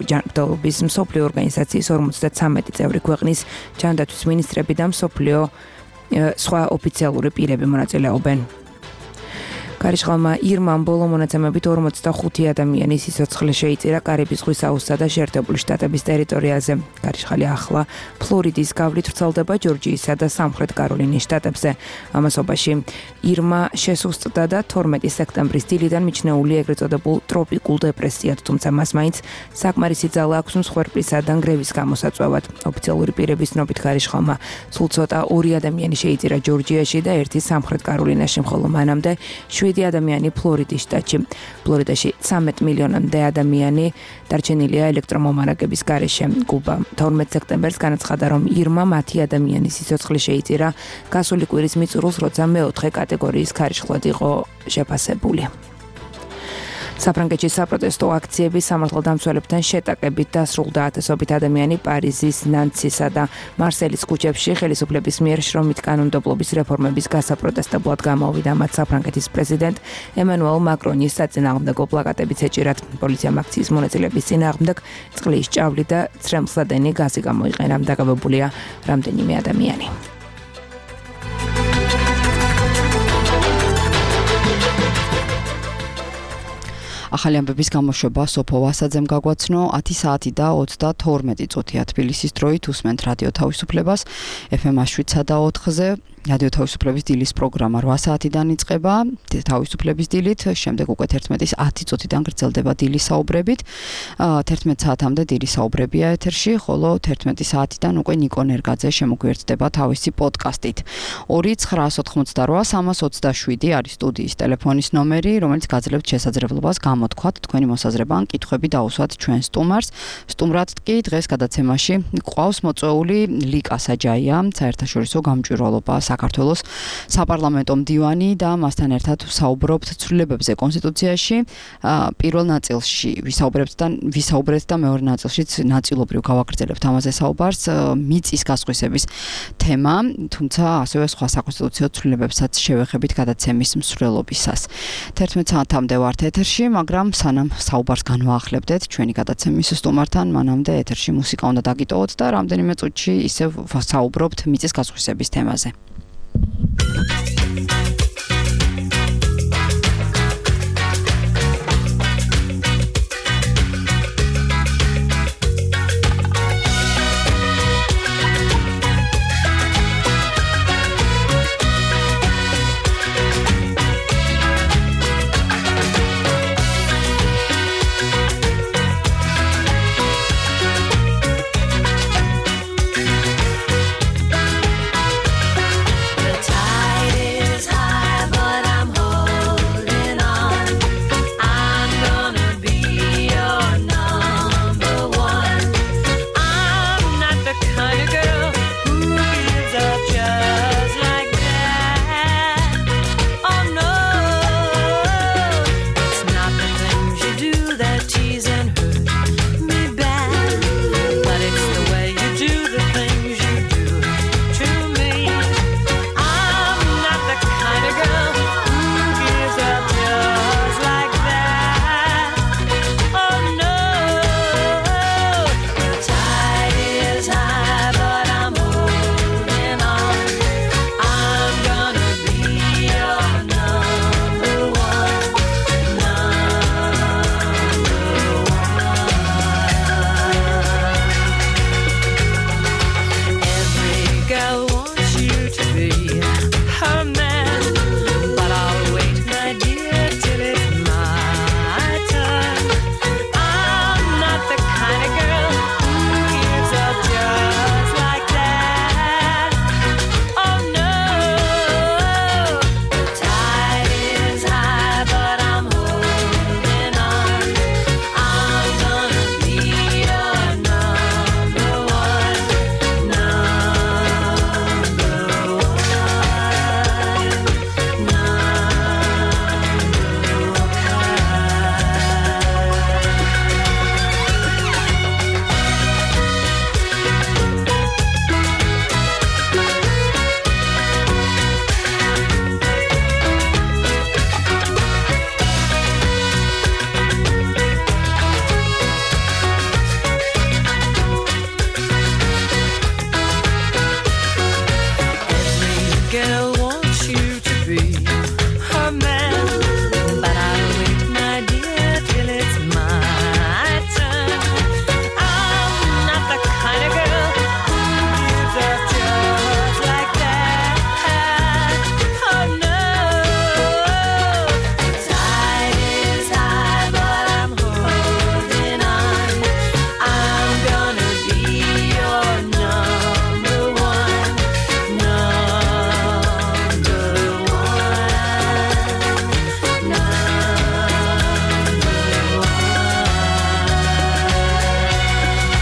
ჯანდაცვის მსოფლიო ორგანიზაციის 53 წევრი ქვეყნის ჯანდაცვის მინისტრები და მსოფლიო სხვა ოფიციალური პირები მონაწილეობენ. Კარიშხალმა ირმამ ბოლო მონაცემებით 45 ადამიანის სიცოცხლე შეიწირა კარიბის ზღვის აუზსა და შეერთებული შტატების ტერიტორიაზე. კარიშხალი ახლა ფლორიდის გავლით ვრცელდება ჯორჯიისა და სამხრეთ კაროლინის შტატებზე. ამასობაში ირმა შესუსტდა და 12 სექტემბრის დილიდან მიჩნეული ეგრეთ წოდებულ ტროპიკულ დეპრესიად, თუმცა მას მაინც საკმარისი ძალა აქვს მსხვერპლისა და ნგრევის გამოსაწვევად. ოფიციალური პირების ცნობით კარიშხალმა სულ ცოტა 2 ადამიანი შეიწირა ჯორჯიაში და 1 სამხრეთ კაროლინაში, ხოლო მანამდე 7 ადამიანი ფლორიდის შტატში. ფლორიდაში 13 მილიონამდე ადამიანი დარჩენილია ელექტრომომარაგების გარეშე. კუბა 12 სექტემბერს განაცხადა, რომ ირმა მათი ადამიანის სიცოცხლე შეიწირა გასული კვირის მიწურულს, როცა მეოთხე კატეგორიის ქარიშხლად იყო შეფასებული. საფრანგეთში საპროტესტო აქციები სამართალდამცველებთან შეტაკებით დასრულდა. ათასობით ადამიანი პარიზის, ნანცისა და მარსელის ქუჩებში ხელისუფლების მიერ შრომით კანონმდებლობის რეფორმების გასაპროტესტებლად გამოვიდა. მათ საფრანგეთის პრეზიდენტ ემანუელ მაკრონის საწინააღმდეგო პლაკატებიც ეჭირათ. პოლიციამ აქციის მონაწილეების წინააღმდეგ წყლის ჭავლი და ცრემლსადენი გაზი გამოიყენა. დაკავებულია რამდენიმე ადამიანი. ახალი ამბების გამოშვება სოფო ვასაძემ გაგვაცნო 10 საათი და 32 წუთია თბილისის დროით. უსმენთ რადიო თავისუფლებას FM 7/4-ზე. რადიო თავისუფლების დილის პროგრამა 8 საათიდან იწყება თავისუფლების დილით, შემდეგ უკვე 11-ის 10 წუთიდან გრძელდება დილის საუბრებით. 11 საათამდე დილის საუბრებია ეთერში, ხოლო 11 საათიდან უკვე ნიკო ნერგაძე შემოგვიერთდება თავისი პოდკასტით. 2-988-327 არის სტუდიის ტელეფონის ნომერი, რომელიც გაძლევთ შესაძლებლობას გამოთქვათ თქვენი მოსაზრება ან კითხვები დაუსვათ ჩვენ სტუმარს. სტუმრად კი დღეს გადაცემაში ყავს მოწვეული ლიკა საჯაია, საერთაშორისო გამჭვირვალობა საქართველოს საპარლამენტო მდივანი და მასთან ერთად ვსაუბრობთ ცვლილებებზე კონსტიტუციაში. პირველ ნაწილში ვისაუბრეთ და მეორე ნაწილშიც ნაწილობრივ გავაგრძელებთ ამაზე საუბარს. მიწის გასხვისების თემა, თუმცა ასევე სხვა საკონსტიტუციო ცვლილებებსაც შევეხებით გადაცემის მსვლელობისას. 11 საათამდე ვართ ეთერში, მაგრამ სანამ საუბარს განვაახლებდეთ ჩვენი გადაცემის სტუმართან, მანამდე ეთერში მუსიკა უნდა დაგიტოვოთ და რამდენიმე წუთში ისევ ვსაუბრობთ მიწის გასხვისების თემაზე. The tide be her man, but I'll wait, my dear, till it's my turn. I'm not the kind of girl who gives up just like that. Oh no, the tide is high, but I'm holding on. I'm gonna be your number one, number one, number one.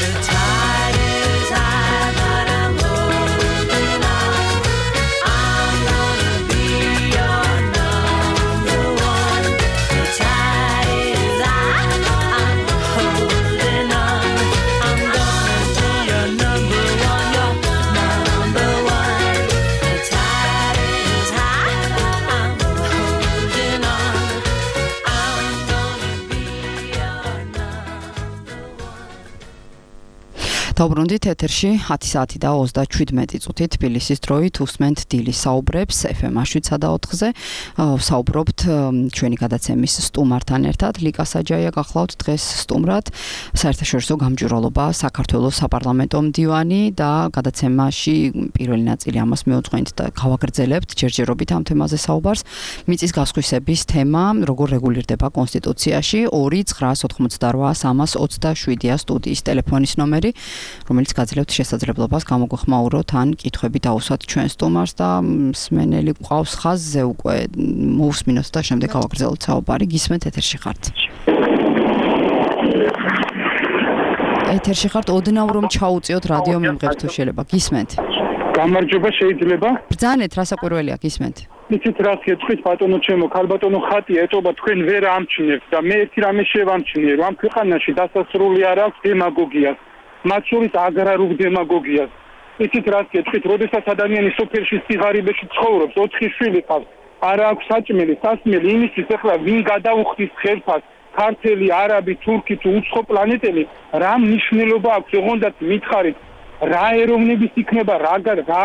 The tide is high, but I'm holding on. I'm gonna be your number one. The tide is high, I'm holding on. I'm gonna be your number one, your number one. The tide is high, I'm holding on. I'm gonna be your number one. დაუბრუნდით ეთერში 10 საათი და 37 წუთი თბილისის დროით უსმენთ დილის საუბრებს FM 7-4-ზე. საუბრობთ ჩვენი გადაცემის სტუმართან ერთად. ლიკა საჯაია გახლავთ დღეს სტუმრად. საერთაშორისო გამჭვირვალობა საქართველოს საპარლამენტო მდივანი და გადაცემაში პირველი ნაწილი ამას მეუძღვენთ და გავაგრძელებთ ჯერჯერობით ამ თემაზე საუბარს. მიწის გასხვისების თემა, როგორ რეგულირდება კონსტიტუციაში 2-988-327-ია სტუდიის ტელეფონის ნომერი, რომელიც გაძლევთ შესაძლებლობას გამოგვეხმაუროთ ან კითხვები დაუსვათ ჩვენ სტუმარს და მსმენელი გვყავს ხაზზე უკვე მოусმინოთ და შემდეგ გავაგრძელოთ საუბარი. გისმენთ ეთერში ხართ. ეთერში ხართ, ოდნავ რომ ჩაუწიოთ რადიო მიმღებს თუ შეიძლება. გისმენთ. გამარჯობა, შეიძლება? ბრძანეთ, რა საკვირველია, გისმენთ. იცით რას გეტყვით ბატონო ჩემო, ქალბატონო ხატია ეტობა თქვენ ვერ ამჩნევთ და მე ერთი რამე შევამჩნიე, რომ ამ ქვეყანაში დასასრული არ აქვს დემაგოგიას, მათ შორის აგრარულ დემაგოგიას. იცით რას გეტყვით, როდესაც ადამიანი სოფელში სიღარიბეში ცხოვრობს, 4 შვილი ყავს, არ აქვს საჭმელი, სასმელი, იმისთვის ახლა ვინ გადაუხდის ხელფას, ქართველი, არაბი, თურქი თუ უცხო პლანეტელი, რა მნიშვნელობა აქვს, ოღონდაც მითხარით, რა ეროვნების იქნება, რა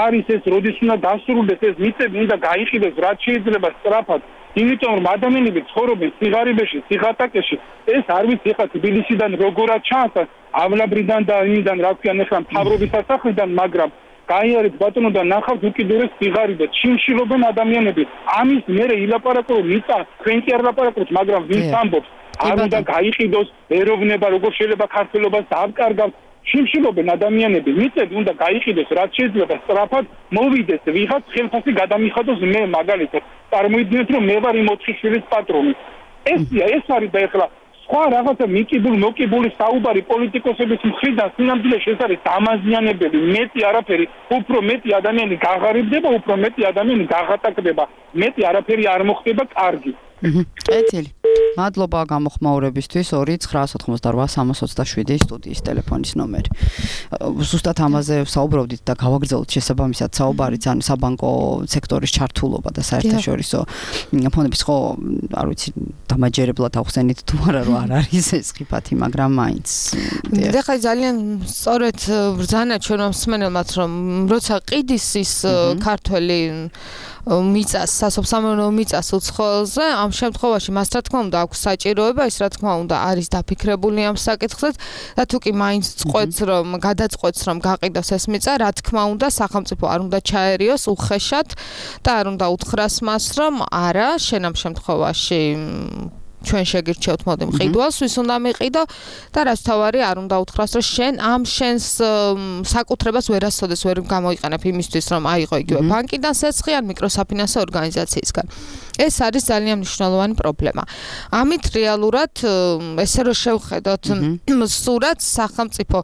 არის ეს, როდის უნდა დასრულდეს ეს მიწები, უნდა გაიყიდეს, რაც შეიძლება სწრაფად. იმიტომ რომ ადამიანები ცხოვრობენ სიღარიბეში, სიღატაკეში, ეს არ ვიცი ხა თბილისიდან როგორად ჩანს, ავლაბრიდან და იმიდან რა ქვიან ახლა მთავრობის სასახლიდან, მაგრამ გაიარეთ ბატონო და ნახავთ უკიდურეს სიღარიბეს, ჩიმშილობენ ადამიანები. ამის მერე ილაპარაკო რომ მიწა, თქვენ კი არ ლაპარაკობთ, მაგრამ ვინც ამბობს, არ უნდა გაიყიდოს ეროვნება, როგორ შეიძლება ქართველობას დააბკარგავთ. შიმშილობენ ადამიანები, მიწები უნდა გაიყიდოს, რაც შეიძლება სწრაფად მოვიდეს, ვიღაც ხელფასი გადამიხადოს მე მაგალითად. წარმოიდგინეთ რომ მე ვარ იმ 4 შვილის პატრონი. ეს არის და ეხლა სხვა რაღაცა მოკიბული საუბარი პოლიტიკოსების მხრიდან სინამდვილეში ეს არის დამაზიანებელი, მეტი არაფერი, უფრო მეტი ადამიანი გაღარიბდება, უფრო მეტი ადამიანი გაღატაკდება, მეტი არაფერი არ მოხდება კარგი. ეთილი. მადლობა გამოხმაურებისთვის 2-988-327 სტუდიის ტელეფონის ნომერი. ზუსტად ამაზე საუბრობდით და გავაგრძელოთ შესაბამისად საუბარიც, ანუ საბანკო სექტორის ჩართულობა და საერთაშორისო ფონდების ხო, არ ვიცი, დამაჯერებლად ახსენით თუ არა რომ არ არის ეს ხიფათი, მაგრამ მაინც. ეხლა ძალიან სწორედ ბრძანა ჩვენ მსმენელმაც რომ როცა ყიდის ის ქართველი მიწას, სასოფლო მიწას უცხოელზე, ამ შემთხვევაში მას რა თქმა უნდა აქვს საჭიროება, ის რა თქმა უნდა არის დაფიქრებული ამ საკითხზე და თუ კი მაინც წყვეტს რომ გადაწყვეტს რომ გაყიდოს ეს მიწა, რა თქმა უნდა სახელმწიფო არ უნდა ჩაერიოს უხეშად და არ უნდა უთხრას მას რომ არა, შენ ამ შემთხვევაში ჩვენ შეგირჩევთ მოდი მყიდვალს, ვის უნდა მიყიდო და რაც თავარი არ უნდა უთხრას რომ შენ ამ შენს საკუთრებას ვერასოდეს ვერ გამოიყენებ იმისთვის რომ აიღო იგივე ბანკიდან სესხი ან მიკროსაფინანსო ორგანიზაციისგან. ეს არის ძალიან მნიშვნელოვანი პრობლემა. ამით რეალურად ესე რომ შევხედოთ სურათს სახელმწიფო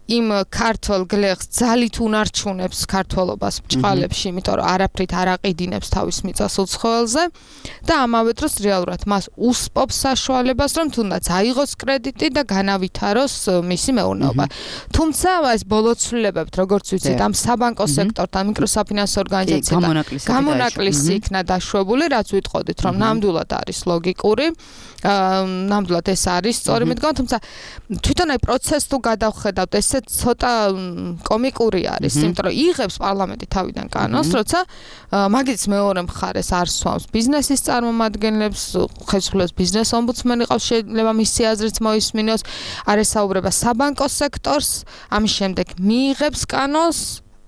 იმ ქართულ გლეხს ძალით უნარჩუნებს ქართველობას ბჭყალებში, იმიტომ რომ არაფრით არ აყიდინებს თავის მიწას უცხოელზე და ამავე დროს რეალურად მას უსპობს საშუალებას, რომ თუნდაც აიღოს კრედიტი და განავითაროს მისი მეურნეობა. თუმცა ეს ბოლოცვლილებებთ, როგორც ვიცით, ამ საბანკო სექტორთან, მიკროსაფინანსო ორგანიზაციებთან გამონაკლისი იქნა დაშვებული, რაც ვიტყოდით, რომ ნამდვილად არის ლოგიკური, ნამდვილად ეს არის სწორი მიდგომა, თუმცა თვითონ აი პროცესს თუ გადავხედავთ, ესე ცოტა კომიკური არის, იმიტომ რომ იღებს პარლამენტი თავიდან კანონს, როცა მაგის მეორე მხარეს არ სვამს ბიზნესის წარმომადგენლებს, ხელისუფლების ბიზნეს ომბუდსმენი ყავს, შეიძლება მისი აზრიც მოისმინოს, არ ესაუბრება საბანკო სექტორს, ამის შემდეგ მიიღებს კანონს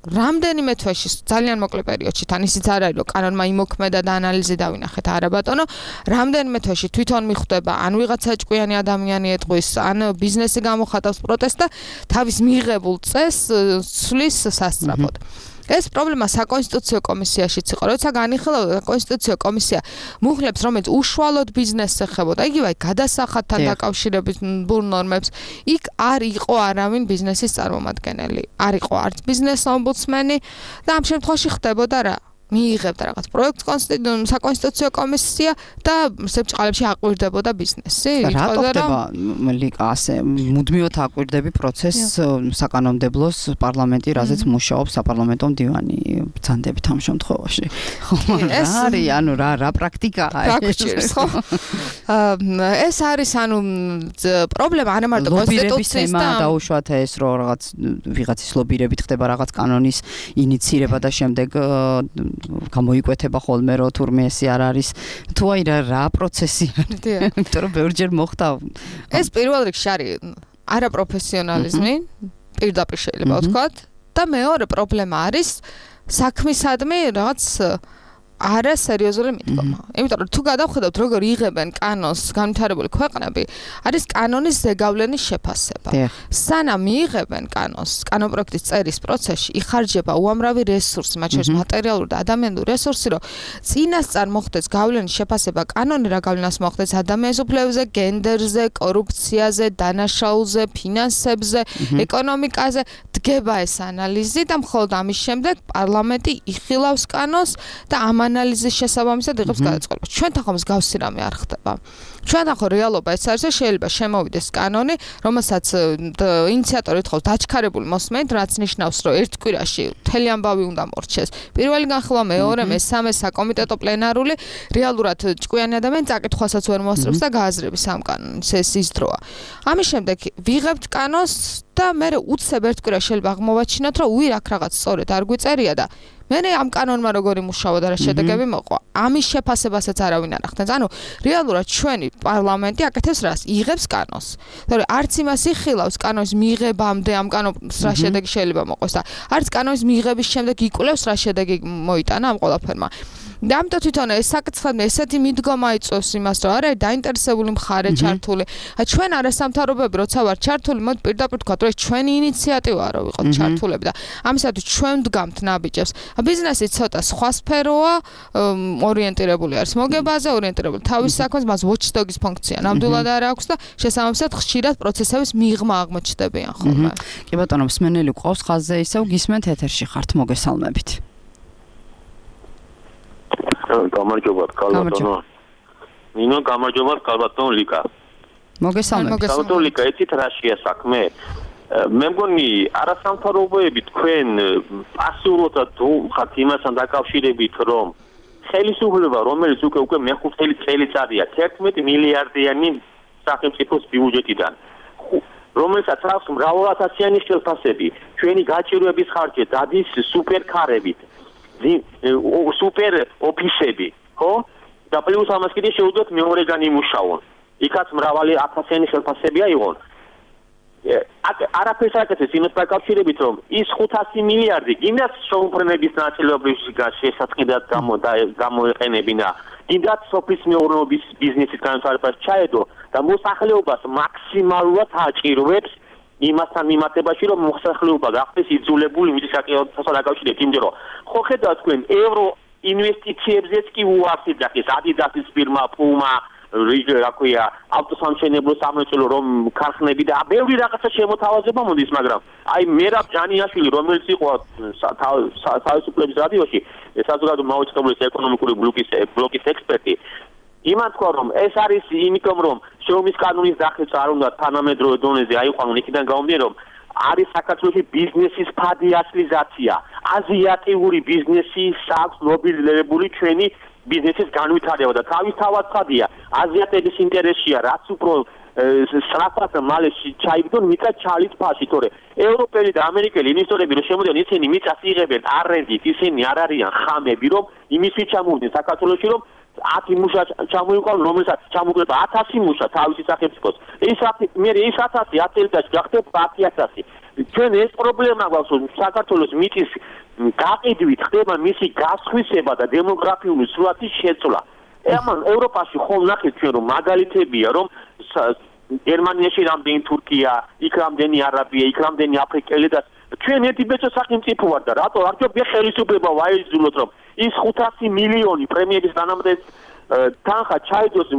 რამდენიმე თვეში, ძალიან მოკლე პერიოდში, თან ისიც არ არის, რომ კანონმა იმოქმედა და ანალიზი დავინახეთ, არა ბატონო, რამდენიმე თვეში თვითონ მიხვდება, ან ვიღაცა ჭკვიანი ადამიანი ეტყვის, ან ბიზნესი გამოხატავს პროტესტს და თავის მიღებულ წესს ცვლის სასწრაფოდ. ეს პრობლემა საკონსტიტუციო კომისიაშიც იყო, როცა განიხილავდა საკონსტიტუციო კომისია მუხლებს, რომელიც უშუალოდ ბიზნესს ეხებოდა, იგივე გადასახადთან დაკავშირებულ ნორმებს, იქ არ იყო არავინ ბიზნესის წარმომადგენელი, არ იყო არც ბიზნეს ომბუდსმენი და ამ შემთხვევაში ხდებოდა რა? მიიღებდა რაღაც პროექტს საკონსტიტუციო კომისია და სებრჭყალებში აკვირდებოდა ბიზნესი. რატო ხდება ლიკა ასე მუდმივად აკვირდები პროცესს საკანონმდებლოს პარლამენტი, რაზეც მუშაობს საპარლამენტო მდივანი ბრძანდებით ამ შემთხვევაში. ეს არის ანუ რა პრაქტიკაა ეს ხო? ეს არის ანუ პრობლემა არა მარტო კონსტიტუციის და დაუშვათ ეს რომ რაღაც ვიღაცის ლობირებით ხდება რაღაც კანონის ინიცირება და შემდეგ გამოიკვეთება ხოლმე რომ თურმე ესე არ არის თუ აი რა პროცესი არის იმიტომ რომ ბევრჯერ მოხდა ეს პირველ რიგში არის არაპროფესიონალიზმი პირდაპირ შეიძლება ვთქვათ და მეორე პრობლემა არის საქმისადმი რაღაც არა სერიოზული მიდგომა. იმიტომ რომ თუ გადავხედავთ როგორ იღებენ კანონს განვითარებული ქვეყნები, არის კანონის ზეგავლენის შეფასება. სანამ მიიღებენ კანონს, კანონპროექტის წერის პროცესში იხარჯება უამრავი რესურსი, მათ შორის მატერიალური და ადამიანური რესურსი, რომ წინასწარ მოხდეს გავლენის შეფასება კანონი რა გავლენას მოხდეს ადამიანის უფლებებზე, გენდერზე, კორუფციაზე, დანაშაულზე, ფინანსებზე, ეკონომიკაზე, დგება ეს ანალიზი და მხოლოდ ამის შემდეგ პარლამენტი იხილავს კანონს და ამ ანალიზის შესაბამისად იღებს გადაწყვეტილებას. ჩვენთან ხომ მსგავსი რამე არ ხდება. ჩვენთან ხო რეალობა ეს არის, შეიძლება შემოვიდეს კანონი, რომელსაც ინიციატორი თხოვს დაჩქარებული მოსმენით, რაც ნიშნავს, რომ ერთ კვირაში მთელი ამბავი უნდა მორჩეს. პირველი განხილვა, მეორე, მესამე საკომიტეტო პლენარული, რეალურად ჭკვიანი ადამიანი წაკითხვასაც ვერ მოასწრებს და გააზრების ამ კანონის ეს ის დროა. ამის შემდეგ ვიღებთ კანონს და მე უცებ ერთ კვირაში შეიძლება აღმოვაჩინოთ, რომ უი აქ რაღაც სწორედ არ გვიწერია და მე ამ კანონმა როგორი მუშაობა და რა შედეგები მოყვა. ამის შეფასებასაც არავინ არ ახდენს. ანუ რეალურად ჩვენი პარლამენტი აკეთებს რას? იღებს კანონს. თორე არც იმას იხილავს კანონის მიღებამდე ამ კანონს რა შედეგი შეიძლება მოყოს და არც კანონის მიღების შემდეგ იკვლევს რა შედეგი მოიტანა ამ ყველაფერმა. და ამიტომ თვითონ ეს საკითხები ესეთი მიდგომა იწვევს იმას, რომ არა დაინტერესებული მხარე ჩართული. ჩვენ არასამთავრობოები როცა ვარ ჩართული, მოდი პირდაპირ თქვა, რომ ეს ჩვენი ინიციატივაა, რომ ვიყოთ ჩართულები და ამისათვის ჩვენ ვდგამთ ნაბიჯებს. ბიზნესი ცოტა სხვა სფეროა, ორიენტირებული არის მოგებაზე, ორიენტირებული თავის საქმეს, მას watchdog-ის ფუნქცია ნამდვილად არ აქვს და შესაბამისად ხშირად პროცესების მიღმა აღმოჩნდებიან ხოლმე. კი ბატონო, მსმენელი ყავს ხაზზე, ისევ გისმენთ ეთერში ხართ, მოგესალმებით. გამარჯობათ, კალბატონო. ნინო, გამარჯობათ, კალბატონო ლიკა. მოგესალმებით. კალბატონო ლიკა, იცით რა შეა საქმე? მე მგონი არასამთავრობოები თქვენ პასიურად ხართ იმასთან დაკავშირებით, რომ ხელისუფლება, რომელიც უკვე მეხუთელი წელიწადია 11 მილიარდიანი სახელმწიფოს ბიუჯეტიდან, რომელსაც აქვს მრავალათასიანი ხელფასები, ჩვენი გაჭირვების ხარჯი დადის სუპერკარებით, სუპერ ოფისები, ხო? და პლუს ამას კიდე შეუძლიათ მეორეგან იმუშაონ. იქაც მრავალი ათასიანი ხელფასები აიღონ. არაფერს აკეთებს იმას დაკავშირებით, რომ ის 500 მილიარდი გინდათ შეუმფრენების ნაწილობრივ შესაწყდად გამოეყენებინა, გინდათ სოფლის მეურნეობის ბიზნესის განვითარებას ჩაედო და მოსახლეობას მაქსიმალურად აჭირვებს იმასთან მიმართებაში, რომ მოსახლეობა გახდეს იძულებული მის საკითხთან დაკავშირებით, იმიტომ რომ ხო ხედავთ თქვენ ევრო ინვესტიციებზეც კი უარს იძახის Adidas-ის ფირმა, Puma, რა ქვია, ავტოსამშენებლო სამრეწველო რომ ქარხნები და ბევრი რაღაცა შემოთავაზება მოდის, მაგრამ აი მერაბ ჯანიაშვილი, რომელიც იყო თავისუფლების რადიოში, საზოგადო მაუწყებლის ეკონომიკური ბლოკის ექსპერტი, იმან თქვა, რომ ეს არის იმიტომ, რომ შრომის კანონის დახვეწა არ უნდა თანამედროვე დონეზე აიყვანონ, იქიდან გამომდინარე, რომ არის საქართველოში ბიზნესის ფადიასლიზაცია, აზიატიური ბიზნესი აქვს ლობირებული ჩვენი ბიზნესის განვითარება და თავისთავად ხადია აზიატების ინტერესია რაც უფრო სწრაფად მალე ჩაიგდონ მიწა ჩალის ფაში თორე ევროპელი და ამერიკელი ინვესტორები რომ შემოდიან ისინი მიწას იღებენ არენდით ისინი არ არიან ხამები რომ იმისთვის ჩამოვიდნენ საქართველოში რომ 10 მუშა ჩამოიყვანონ რომელსაც ჩამოგვება 1000 მუშა თავისი სახელმწიფოს ეს მე ეს 1000 10 წელიწადში გახდება 10000 ჩვენ ეს პრობლემა გვაქვს რომ საქართველოს მიწის გაყიდვით ხდება მისი გასხვისება და დემოგრაფიული სურათის შეცვლა ამან ევროპაში ხომ ნახეთ ჩვენ რომ მაგალითებია რომ გერმანიაში რამდენი თურქია, იქ რამდენი არაბია, იქ რამდენი აფრიკელი და ჩვენ ერთი ბეჭო სახელმწიფო ვარ და რატო არ ჯობია ხელისუფლება ვაიზულოთ რომ ის 500 მილიონი პრემიების დანამდვილ თანხა ჩაიდოს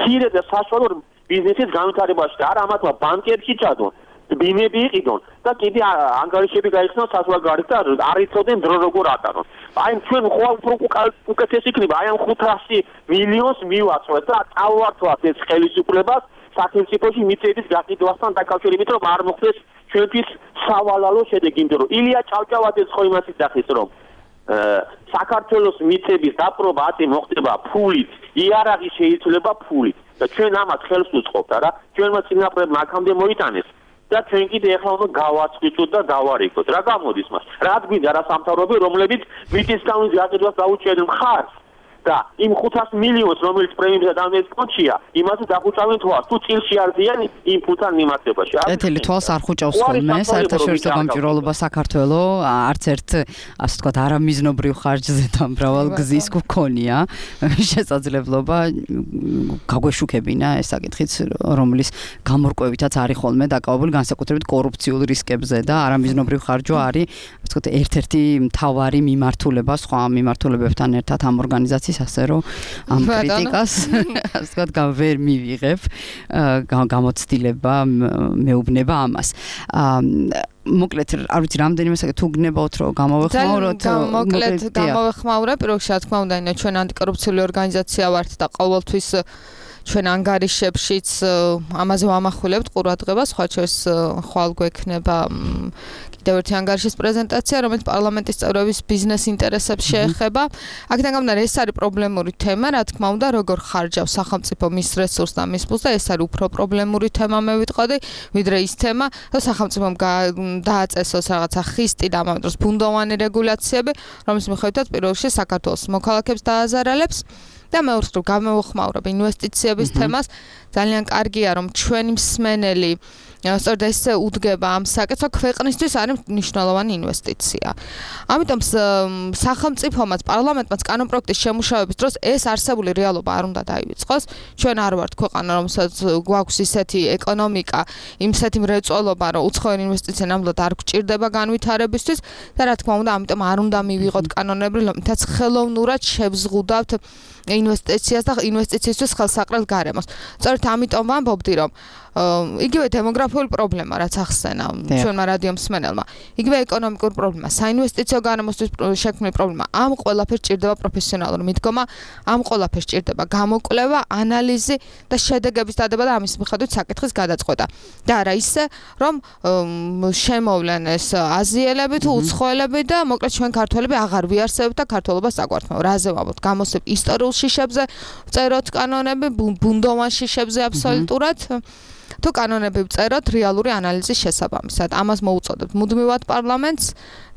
ქირე და საშუალო ბიზნესის განვითარებაში და არა ამათმა ბანკებში ჩადონ ბინები იყიდონ და კიდე ანგარიშები გაიხსნან საზღვარგარეთ და არ იცოდნენ დრო როგორ ატარონ. აი ჩვენ ხო უკეთეს იქნება აი ამ 500 მილიონს მივაწვეთ და წავართვათ ეს ხელისუფლებას სახელმწიფოში მიწების გაყიდვასთან დაკავშირებით რომ არ მოხდეს ჩვენთვის სავალალო შედეგი, იმიტომ რომ ილია ჭავჭავაძეს ხო იმას იცახის რომ საქართველოს მიწების დაპყრობა ათი მოხდება ფულით, იარაღი შეიძლება ფულით და ჩვენ ამას ხელს უწყობთ არა, ჩვენმა წინაპრებმა აქამდე მოიტანეს და ჩვენ კიდე ახლა უნდა გავაწყვიტოთ და დავარიგოთ. რა გამოდის მას? რა გვინდა რა სამთავრობო რომლებიც მიწის განვითარებას დაუჭერენ მხარს და იმ 500 მილიონს რომელიც პრემიებსა და ამის კონჩია, იმაზე დაგუჭავენ თვალს. თუ წილში არ დიან იმ ფულთან მიმართებაში. ეთილი თვალს არ ხუჭავს ხოლმე საერთაშორისო გამჭვირვალობა საქართველოს არც ერთ ასე ვთქვათ არამიზნობრივ ხარჯზე და მრავალ გზის გქონია შესაძლებლობა გაგვეშუქებინა ეს საკითხიც რომლის გამორკვევითაც არის ხოლმე დაკავებული განსაკუთრებით კორუფციულ რისკებზე და არამიზნობრივ ხარჯვა არის ასე ვთქვათ ერთ-ერთი მთავარი მიმართულება სხვა მიმართულებებთან ერთად ამ ორგანიზაციის ასე რომ ამ კრიტიკას ასე ვთქვათ ვერ მივიღებ გამოცდილება მეუბნება ამას მოკლედ არ ვიცი რამდენიმე საკითხი თუ გნებავთ რომ გამოვეხმაუროთ მოკლედ გამოვეხმაურე პირველში რა თქმა უნდა ჩვენ ანტიკორუფციული ორგანიზაცია ვართ და ყოველთვის ჩვენ ანგარიშებშიც ამაზე ვამახვილებთ ყურადღებას სხვა შეს ხვალ გვექნება კიდევ ერთი ანგარიშის პრეზენტაცია რომელიც პარლამენტის წევრების ბიზნეს ინტერესებს შეეხება აქედან გამომდინარე ეს არის პრობლემური თემა რა თქმა უნდა როგორ ხარჯავს სახელმწიფო მის რესურსს და მის ფულს და ეს არის უფრო პრობლემური თემა მე ვიტყოდი ვიდრე ის თემა რომ სახელმწიფომ დააწესოს რაღაცა ხისტი და ამავდროულად ბუნდოვანი რეგულაციები რომლის მიხედვითაც პირველ რიგში საქართველოს მოქალაქეებს დააზარალებს და მეორე რომ გამოვხმაურებ ინვესტიციების თემას ძალიან კარგია რომ ჩვენი მსმენელი სწორედ ესე უდგება ამ საკითხს ქვეყნისთვის არის მნიშვნელოვანი ინვესტიცია. ამიტომ სახელმწიფომაც პარლამენტმაც კანონპროექტის შემუშავების დროს ეს არსებული რეალობა არ უნდა დაივიწყოს. ჩვენ არ ვართ ქვეყანა რომელსაც გვაქვს ისეთი ეკონომიკა, იმსეთი მრეწველობა რომ უცხოური ინვესტიცია ნამდვილად არ გვჭირდება განვითარებისთვის და რა თქმა უნდა ამიტომ არ უნდა მივიღოთ კანონები რომლითაც ხელოვნურად შევზღუდავთ ინვესტიციას და ინვესტიციისთვის ხელსაყრელ გარემოს. სწორედ ამიტომ ვამბობდი რომ იგივე დემოგრაფიული პრობლემა რაც ახსენა ჩვენმა რადიო მსმენელმა იგივე ეკონომიკური პრობლემა საინვესტიციო გარემოსთვის შექმნილი პრობლემა ამ ყველაფერს ჭირდება პროფესიონალური მიდგომა ამ ყველაფერს ჭირდება გამოკვლევა ანალიზი და შედეგების დადება და ამის მიხედვით საკითხის გადაწყვეტა და არა ისე რომ შემოვლენ ეს აზიელები თუ უცხოელები და მოკლედ ჩვენ ქართველები აღარ ვიარსებთ და ქართველობას აგვართმევ რაზე ვამბობთ გამოსებ ისტორიულ შიშებზე წეროთ კანონები ბუნდოვან შიშებზე აბსოლუტურად თუ კანონები ვწეროთ რეალური ანალიზის შესაბამისად ამას მოუწოდებთ მუდმივად პარლამენტს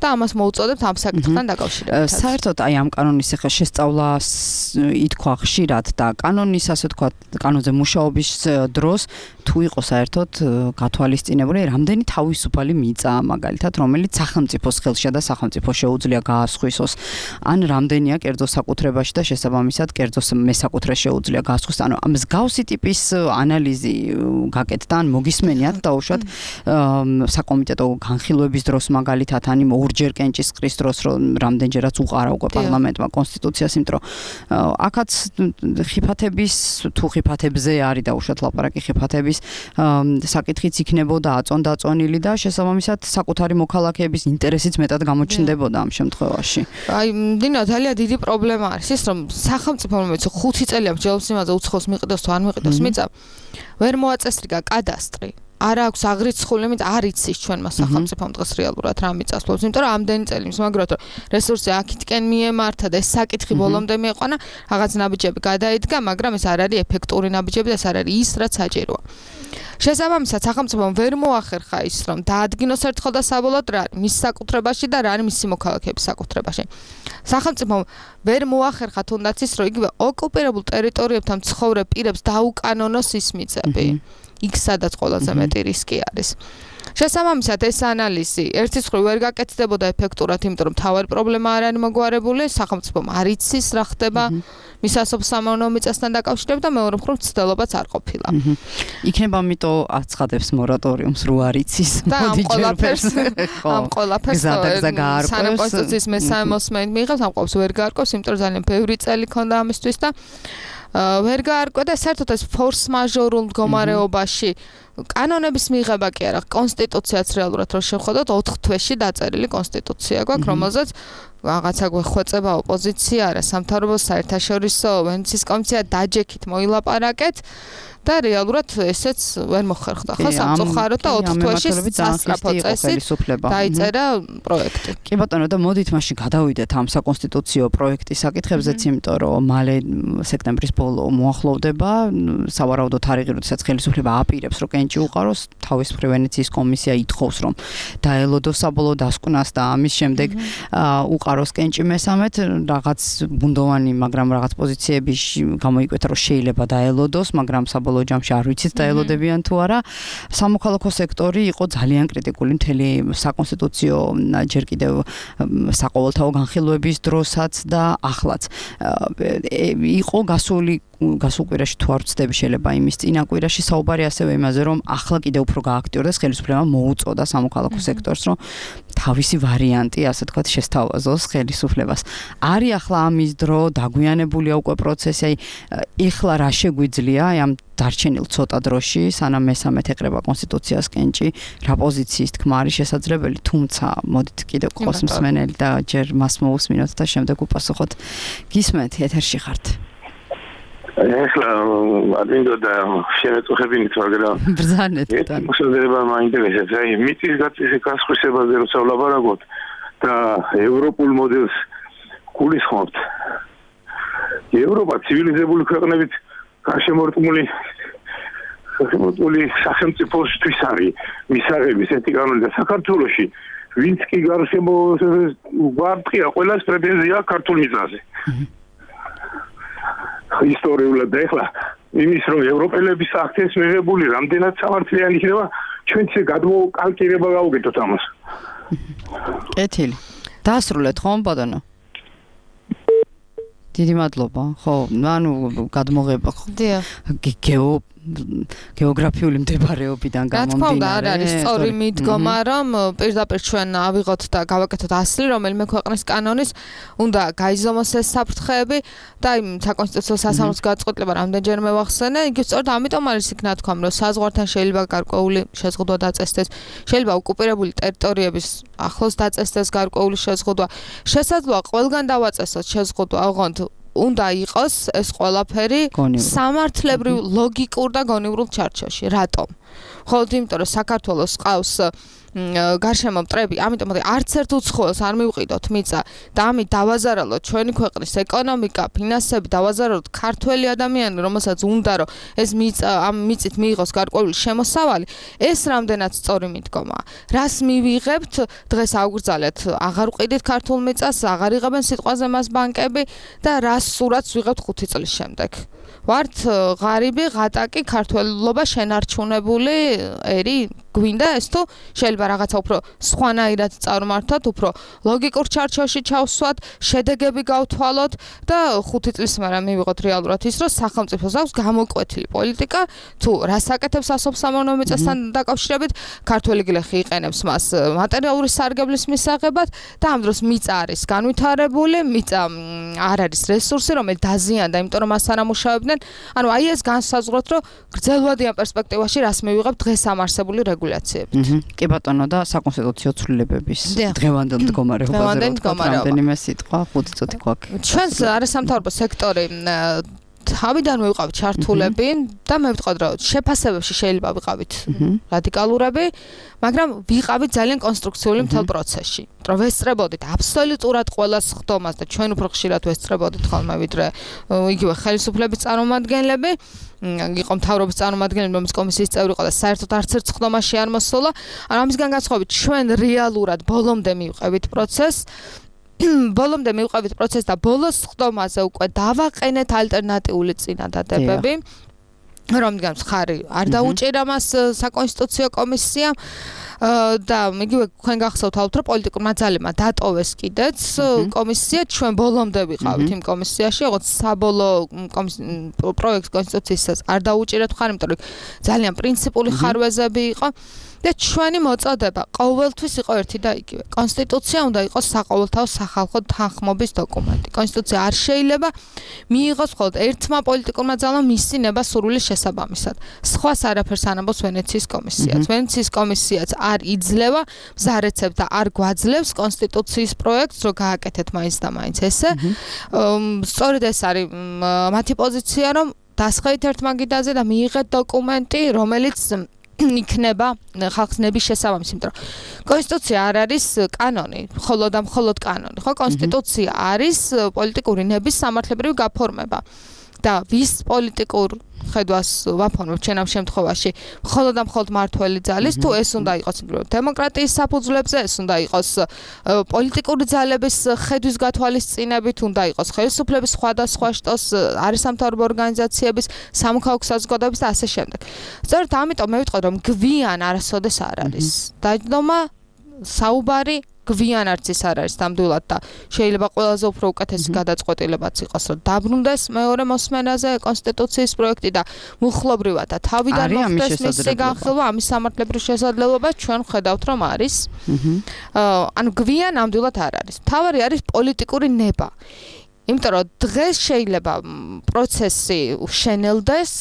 და ამას მოუწოდებთ ამ საკითხთან დაკავშირებით. საერთოდ აი ამ კანონის ახლა შესწავლას ითქვა ხშირად და კანონის ასე ვთქვათ კანონზე მუშაობის დროს თუ იყო საერთოდ გათვალისწინებული რამდენი თავისუფალი მიწა მაგალითად რომელიც სახელმწიფოს ხელშია და სახელმწიფო შეუძლია გაასხვისოს ან რამდენია კერძო საკუთრებაში და შესაბამისად კერძო მესაკუთრე შეუძლია გაასხვის ანუ ამ მსგავსი ტიპის ანალიზი გაკეთდა ან მოგისმენიათ დაუშვათ საკომიტეტო განხილვების დროს მაგალითად ან ორჯერ კენჭისყრის დროს რომ რამდენჯერაც უყარა უკვე პარლამენტმა კონსტიტუციას იმიტომ რომ აქაც ხიფათების თუ ხიფათებზე არის დაუშვათ ლაპარაკი ხიფათების საკითხიც იქნებოდა აწონდაწონილი და შესაბამისად საკუთარი მოქალაქეების ინტერესიც მეტად გამოჩნდებოდა ამ შემთხვევაში. აი დინო ძალიან დიდი პრობლემა არის ის რომ სახელმწიფო რომელიც 5 წელია მსჯელობს იმაზე უცხოს მიყიდოს თუ არ მიყიდოს მიწა ვერ მოაწესრიგა კადასტრი არ აქვს აღრიცხული, იმიტომ არ იცის ჩვენმა სახელმწიფომ დღეს რეალურად რა მიწასვლობს, იმიტომ რომ ამდენი წელი მსმაგროთ რომ რესურსი აქეთკენ მიემართა და ეს საკითხი ბოლომდე მieყვანა, რაღაც ნაბიჯები გადაიდგა, მაგრამ ეს არ არის ეფექტური ნაბიჯები და ეს არ არის ის რაც საჭიროა. შესაბამისად, სახელმწიფომ ვერ მოახერხა ის, რომ დაადგინოს ერთხელ და საბოლოოდ რა არის მის საკუთრებაში და რა არის მისი მოქალაქეების საკუთრებაში. სახელმწიფომ ვერ მოახერხა თუნდაც ის, რომ იგივე ოკუპირებულ ტერიტორიებთან მცხოვრებ პირებს დაუკანონოს ის მიწები. იქ სადაც ყველაზე მეტი რისკი არის. შესაბამისად, ეს ანალიზი ერთის მხრივ ვერ გაკეთდებოდა ეფექტურად, იმიტომ რომ თავარი პრობლემა არ არის მოგვარებული, სახელმწიფომ არ იცის რა ხდება მის სასოფლო-სამეურნეო მიწასთან დაკავშირებით და მეორე მხრივ ცდილობაც არ ყოფილა. იქნება ამიტომ აცხადებს მორატორიუმს რო არ იცის. მოდი ჯერფერს. ამ ყველაფერს სანაკონსტიტუციის მესამე მოსმენით მიიღებს, ამ ყველაფერს ვერ გაარკვევს, იმიტომ რომ ძალიან ბევრი წელი ქონდა ამისთვის და ვერ გაარკვევ და საერთოდ ეს ფორს მაჟორულ მდგომარეობაში კანონების მიღება კი არა, კონსტიტუციაც რეალურად რო შევხედოთ 4 თვეში დაწერილი კონსტიტუცია გვაქვს, რომელზეც რაღაცა გვეხვეწება ოპოზიცია, არა სამთავრობო საერთაშორისო ვენეციის კომისია დაჯექით მოილაპარაკეთ და რეალურად ესეც ვერ მოხერხდა. ხო, სამწუხაროდ და 4 თვეში სასწრაფო წესით დაიწერა პროექტი. კი ბატონო, და მოდით მაშინ გადავიდეთ ამ საკონსტიტუციო პროექტის საკითხებზეც, იმიტომ რომ მალე სექტემბრის ბოლო მოახლოვდება, სავარაუდოდ თარიღი, როდესაც ხელისუფლება აპირებს, რომ კენჭი უყაროს, თავის მხრივ ვენეციის კომისია ითხოვს, რომ დაელოდოს საბოლოო დასკვნას და ამის შემდეგ უყაროს კენჭი მესამედ, რაღაც ბუნდოვანი, მაგრამ რაღაც პოზიციები გამოიკვეთა, რომ შეიძლება დაელოდოს, მაგრამ საბოლოო ჯამში არ ვიცით დაელოდებიან თუ არა. სამოქალაქო სექტორი იყო ძალიან კრიტიკული მთელი საკონსტიტუციო ჯერ კიდევ საყოველთაო განხილვების დროსაც და ახლაც. იყო გასულ კვირაში თუ არ ვცდები, შეიძლება იმის წინა კვირაში საუბარი ასევე იმაზე, რომ ახლა კიდევ უფრო გააქტიურდეს ხელისუფლება მოუწოდა სამოქალაქო სექტორს, რომ თავისი ვარიანტი, ასე თქვათ, შესთავაზოს ხელისუფლებას. არის ახლა ამის დრო, დაგვიანებულია უკვე პროცესი, აი ეხლა რა შეგვიძლია ამ დარჩენილ ცოტა დროში, სანამ მესამედ ეკრება კონსტიტუციას კენჭი, რა პოზიციის თქმა არის შესაძლებელი, თუმცა მოდით კიდევ ყავს მსმენელი და ჯერ მას მოусმინოთ და შემდეგ უპასუხოთ. გისმენთ, ეთერში ხართ. ეხლა ადინდო და შემეწუხებინით, მაგრამ ბრძანეთ და მოსაზრება მაინტერესებს. აი, მიწის გასხვისებაზე როცა ვლაპარაკობთ და ევროპულ მოდელს გულისხმობთ. ევროპა ცივილიზებული ქვეყნებით გარშემორტყმული სახელმწიფოსთვის არის მისაღების ეთი კანონი და საქართველოში ვინც კი გვარტყია ყველას პრეტენზია ქართულ მიწაზე. ისტორიულად და ეხლა იმის რომ ევროპელების აქცენტს მიღებული რამდენად სამართლიანი იქნება ჩვენც გადმოკალკირება გავუკეთოთ ამას. კეთილი. დაასრულეთ ხომ ბატონო? დიდი მადლობა. ხო, ანუ გადმოღება ხო? დიახ. გეოგრაფიული მდებარეობიდან გამომდინარე. რა თქმა უნდა, არ არის სწორი მიდგომა, რომ პირდაპირ ჩვენ ავიღოთ და გავაკეთოთ ასლი, რომელიმე ქვეყნის კანონის უნდა გაიზომოს ეს საფრთხეები და იმ საკონსტიტუციო სასამართლოს გადაწყვეტილება რამდენჯერმე ვახსენე, იგი სწორედ ამიტომ არის იქ ნათქვამ, რომ საზღვართან შეიძლება გარკვეული შეზღუდვა დაწესდეს, შეიძლება ოკუპირებული ტერიტორიების ახლოს დაწესდეს გარკვეული შეზღუდვა. შესაძლოა ყველგან დავაწესოთ შეზღუდვა, ოღონდ უნდა იყოს ეს ყველაფერი სამართლებრივ, ლოგიკურ და გონივრულ ჩარჩოში. რატომ? მხოლოდ იმიტომ, რომ საქართველოს ყავს გარშემო მტრები, ამიტომ არც ერთ უცხოელს არ მივყიდოთ მიწა და ამით დავაზარალოთ ჩვენი ქვეყნის ეკონომიკა, ფინანსები, დავაზარალოთ ქართველი ადამიანი, რომელსაც უნდა რომ ეს მიწა ამ მიწით მიიღოს გარკვეული შემოსავალი, ეს რამდენად სწორი მიდგომაა. რას მივიღებთ? დღეს აგვგრძალეთ, აღარ ვყიდით ქართულ მიწას, აღარ იღებენ სიტყვაზე მას ბანკები და რას სურათს ვიღებთ 5 წლის შემდეგ. ვართ ღარიბი, ღატაკი, ქართველობა შენარჩუნებული ერი გვინდა ეს თუ შეიძლება რაღაცა უფრო სხვანაირად წარმართოთ, უფრო ლოგიკურ ჩარჩოში ჩავსვათ, შედეგები გავთვალოთ და 5 წლის მერე მივიღოთ რეალურად ის, რომ სახელმწიფოს აქვს გამოკვეთილი პოლიტიკა, თუ რას აკეთებს სასოფლო-სამეურნეო მიწასთან დაკავშირებით, ქართველი გლეხი იყენებს მას მატერიალური სარგებლის მისაღებად და ამ დროს მიწა არის განვითარებული, მიწა არ არის რესურსი, რომელიც დაზიანდა, იმიტომ რომ მას არ ამუშავებდნენ. ანუ აი ეს განსაზღვროთ, რომ გრძელვადიან პერსპექტივაში რას მივიღებთ დღეს ამ არსებული რეგულაციებით. კი ბატონო და საკონსტიტუციო ცვლილებების დღევანდელ მდგომარეობაზე რამდენიმე სიტყვა 5 წუთი გვაქვს. ჩვენს არასამთავრობო სექტორი თავიდანვე ვიყავით ჩართულები და მე ვიტყოდ რომ შეფასებებში შეიძლება ვიყავით რადიკალურები, მაგრამ ვიყავით ძალიან კონსტრუქციული მთელ პროცესში. რომ ვესწრებოდით აბსოლუტურად ყველას ხდომას და ჩვენ უფრო ხშირად ვესწრებოდით ხოლმე ვიდრე იგივე ხელისუფლების წარმომადგენლები. იყო მთავრობის წარმომადგენლები, რომლის კომისიის წევრი იყო და საერთოდ არც ერთ ხდომაში არ მოსულა. ანუ ამისგან განსხვავებით ჩვენ რეალურად ბოლომდე მივყევით პროცესს. ბოლომდე მივყევით პროცესს და ბოლოს ხდომაზე უკვე დავაყენეთ ალტერნატიული წინადადებები. რომდგან ხარი არ დაუჭირა მას საკონსტიტუციო კომისიამ და იგივე თქვენ გახსოვთ ალბათ რომ პოლიტიკურმა ძალებმა დატოვეს კიდეც კომისია ჩვენ ბოლომდე ვიყავით იმ კომისიაში როგორც საბოლოო პროექტს კონსტიტუციისას არ დაუჭირეთ ხარ იმიტომ რომ ძალიან პრინციპული ხარვეზები იყო და ჩვენი მოწოდება ყოველთვის იყო ერთი და იგივე კონსტიტუცია უნდა იყოს საყოველთაო სახალხო თანხმობის დოკუმენტი კონსტიტუცია არ შეიძლება მიიღოს მხოლოდ ერთმა პოლიტიკურმა ძალამ მისი ნება სურვილის შესაბამისად სხვას არაფერს ანაბოს ვენეციის კომისიაც ვენეციის კომისიაც არ იძლევა მზარეცებს და არ გვაძლევს კონსტიტუციის პროექტს რომ გააკეთეთ მაინც და მაინც ესე სწორედ ეს არის მათი პოზიცია რომ დასხევით ერთ მაგიდაზე და მიიღეთ დოკუმენტი რომელიც იქნება ხალხს ნების შესაბამისი, იმიტომ რომ კონსტიტუცია არ არის კანონი, მხოლოდ და მხოლოდ კანონი, ხო? კონსტიტუცია არის პოლიტიკური ნების სამართლებრივი გაფორმება. და ვის პოლიტიკურ ხედვას ვაფორმებთ ჩვენ ამ შემთხვევაში მხოლოდ და მხოლოდ მართველი ძალის თუ ეს უნდა იყოს დემოკრატიის საფუძვლებზე ეს უნდა იყოს პოლიტიკური ძალების ხედვის გათვალისწინებით უნდა იყოს ხელისუფლების სხვადასხვა შტოს არასამთავრობო ორგანიზაციების სამოქალაქო საზოგადოების და ასე შემდეგ. სწორედ ამიტომ მე ვიტყოდ რომ გვიან არასოდეს არ არის დაჯდომა საუბარი გვიან არც ის არ არის ნამდვილად და შეიძლება ყველაზე უფრო უკეთესი გადაწყვეტილებაც იყოს რომ დაბრუნდეს მეორე მოსმენაზე კონსტიტუციის პროექტი და მუხლობრივად და თავიდან მოხდეს მისი განხილვა ამის სამართლებრივ შესაძლებლობას ჩვენ ხედავთ რომ არის ანუ გვიან ნამდვილად არ არის თავარი არის პოლიტიკური ნება იმიტომ რომ დღეს შეიძლება პროცესი უშენელდეს,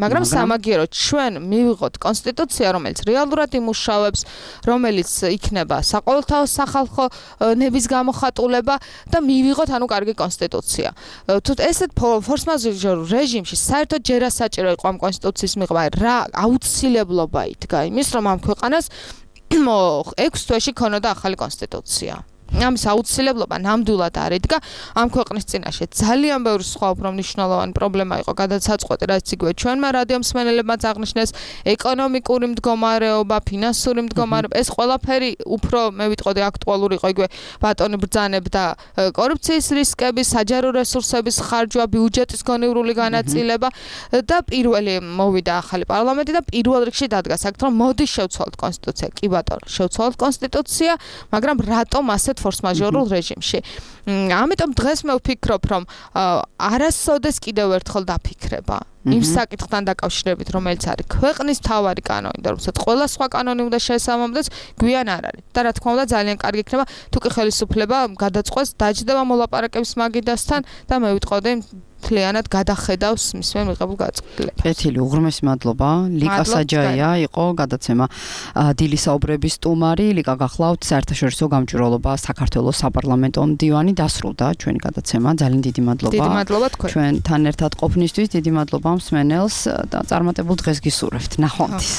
მაგრამ სამაგიეროდ ჩვენ მივიღოთ კონსტიტუცია, რომელიც რეალურად იმუშავებს, რომელიც იქნება საყოველთაო სახალხო ნების გამოხატულება და მივიღოთ ანუ კარგი კონსტიტუცია. თუ ესეთ ფორს-მაჟორ რეჟიმში საერთოდ ჯერა საჭირო იყო ამ კონსტიტუციის მიღება, რა აუცილებლობა იდგა იმის, რომ ამ ქვეყანას 6 თვეში ქონოდა ახალი კონსტიტუცია. ამის აუცილებლობა ნამდვილად არ იდგა ამ ქვეყნის წინაშე ძალიან ბევრი სხვა უფრო მნიშვნელოვანი პრობლემა იყო გადაცაწყვეტი რაც იგივე ჩვენმა რადიო მსმენელებმაც აღნიშნეს ეკონომიკური მდგომარეობა ფინანსური მდგომარეობა ეს ყველაფერი უფრო მე ვიტყოდი აქტუალური იყო იგივე ბატონი ბრძანებ და კორუფციის რისკები საჯარო რესურსების ხარჯვა ბიუჯეტის გონივრული განაწილება და პირველი მოვიდა ახალი პარლამენტი და პირველ რიგში დადგა საქმე რომ მოდი შევცვალოთ კონსტიტუცია კი ბატონო შევცვალოთ კონსტიტუცია მაგრამ რატომ ასეთ ფორს-მაჟორულ რეჟიმში. ამიტომ დღეს მე ვფიქრობ, რომ არასოდეს კიდევ ერთხელ დაფიქრება იმ საკითხთან დაკავშირებით, რომელიც არის ქვეყნის მთავარი კანონი და რომელსაც ყველა სხვა კანონი უნდა შეესაბამდეს, გვიან არ არის. და რა თქმა უნდა, ძალიან კარგი იქნება, თუ კი ხელისუფლება გადაწყვეტს დაჯდება მოლაპარაკების მაგიდასთან და მე ვიტყოდი მთლიანად გადახედავს მისმენ მიღებულ გადაწყვეტილებას. კეთილი, უღრმესი მადლობა. ლიკა საჯაია იყო გადაცემა დილის საუბრების სტუმარი. ლიკა გახლავთ საერთაშორისო გამჭვირვალობა საქართველოს საპარლამენტო მდივანი დასრულდა ჩვენი გადაცემა. ძალიან დიდი მადლობა. დიდი მადლობა თქვენ. ჩვენთან ერთად ყოფნისთვის დიდი მადლობა მსმენელს და წარმატებულ დღეს გისურვებთ. ნახვამდის.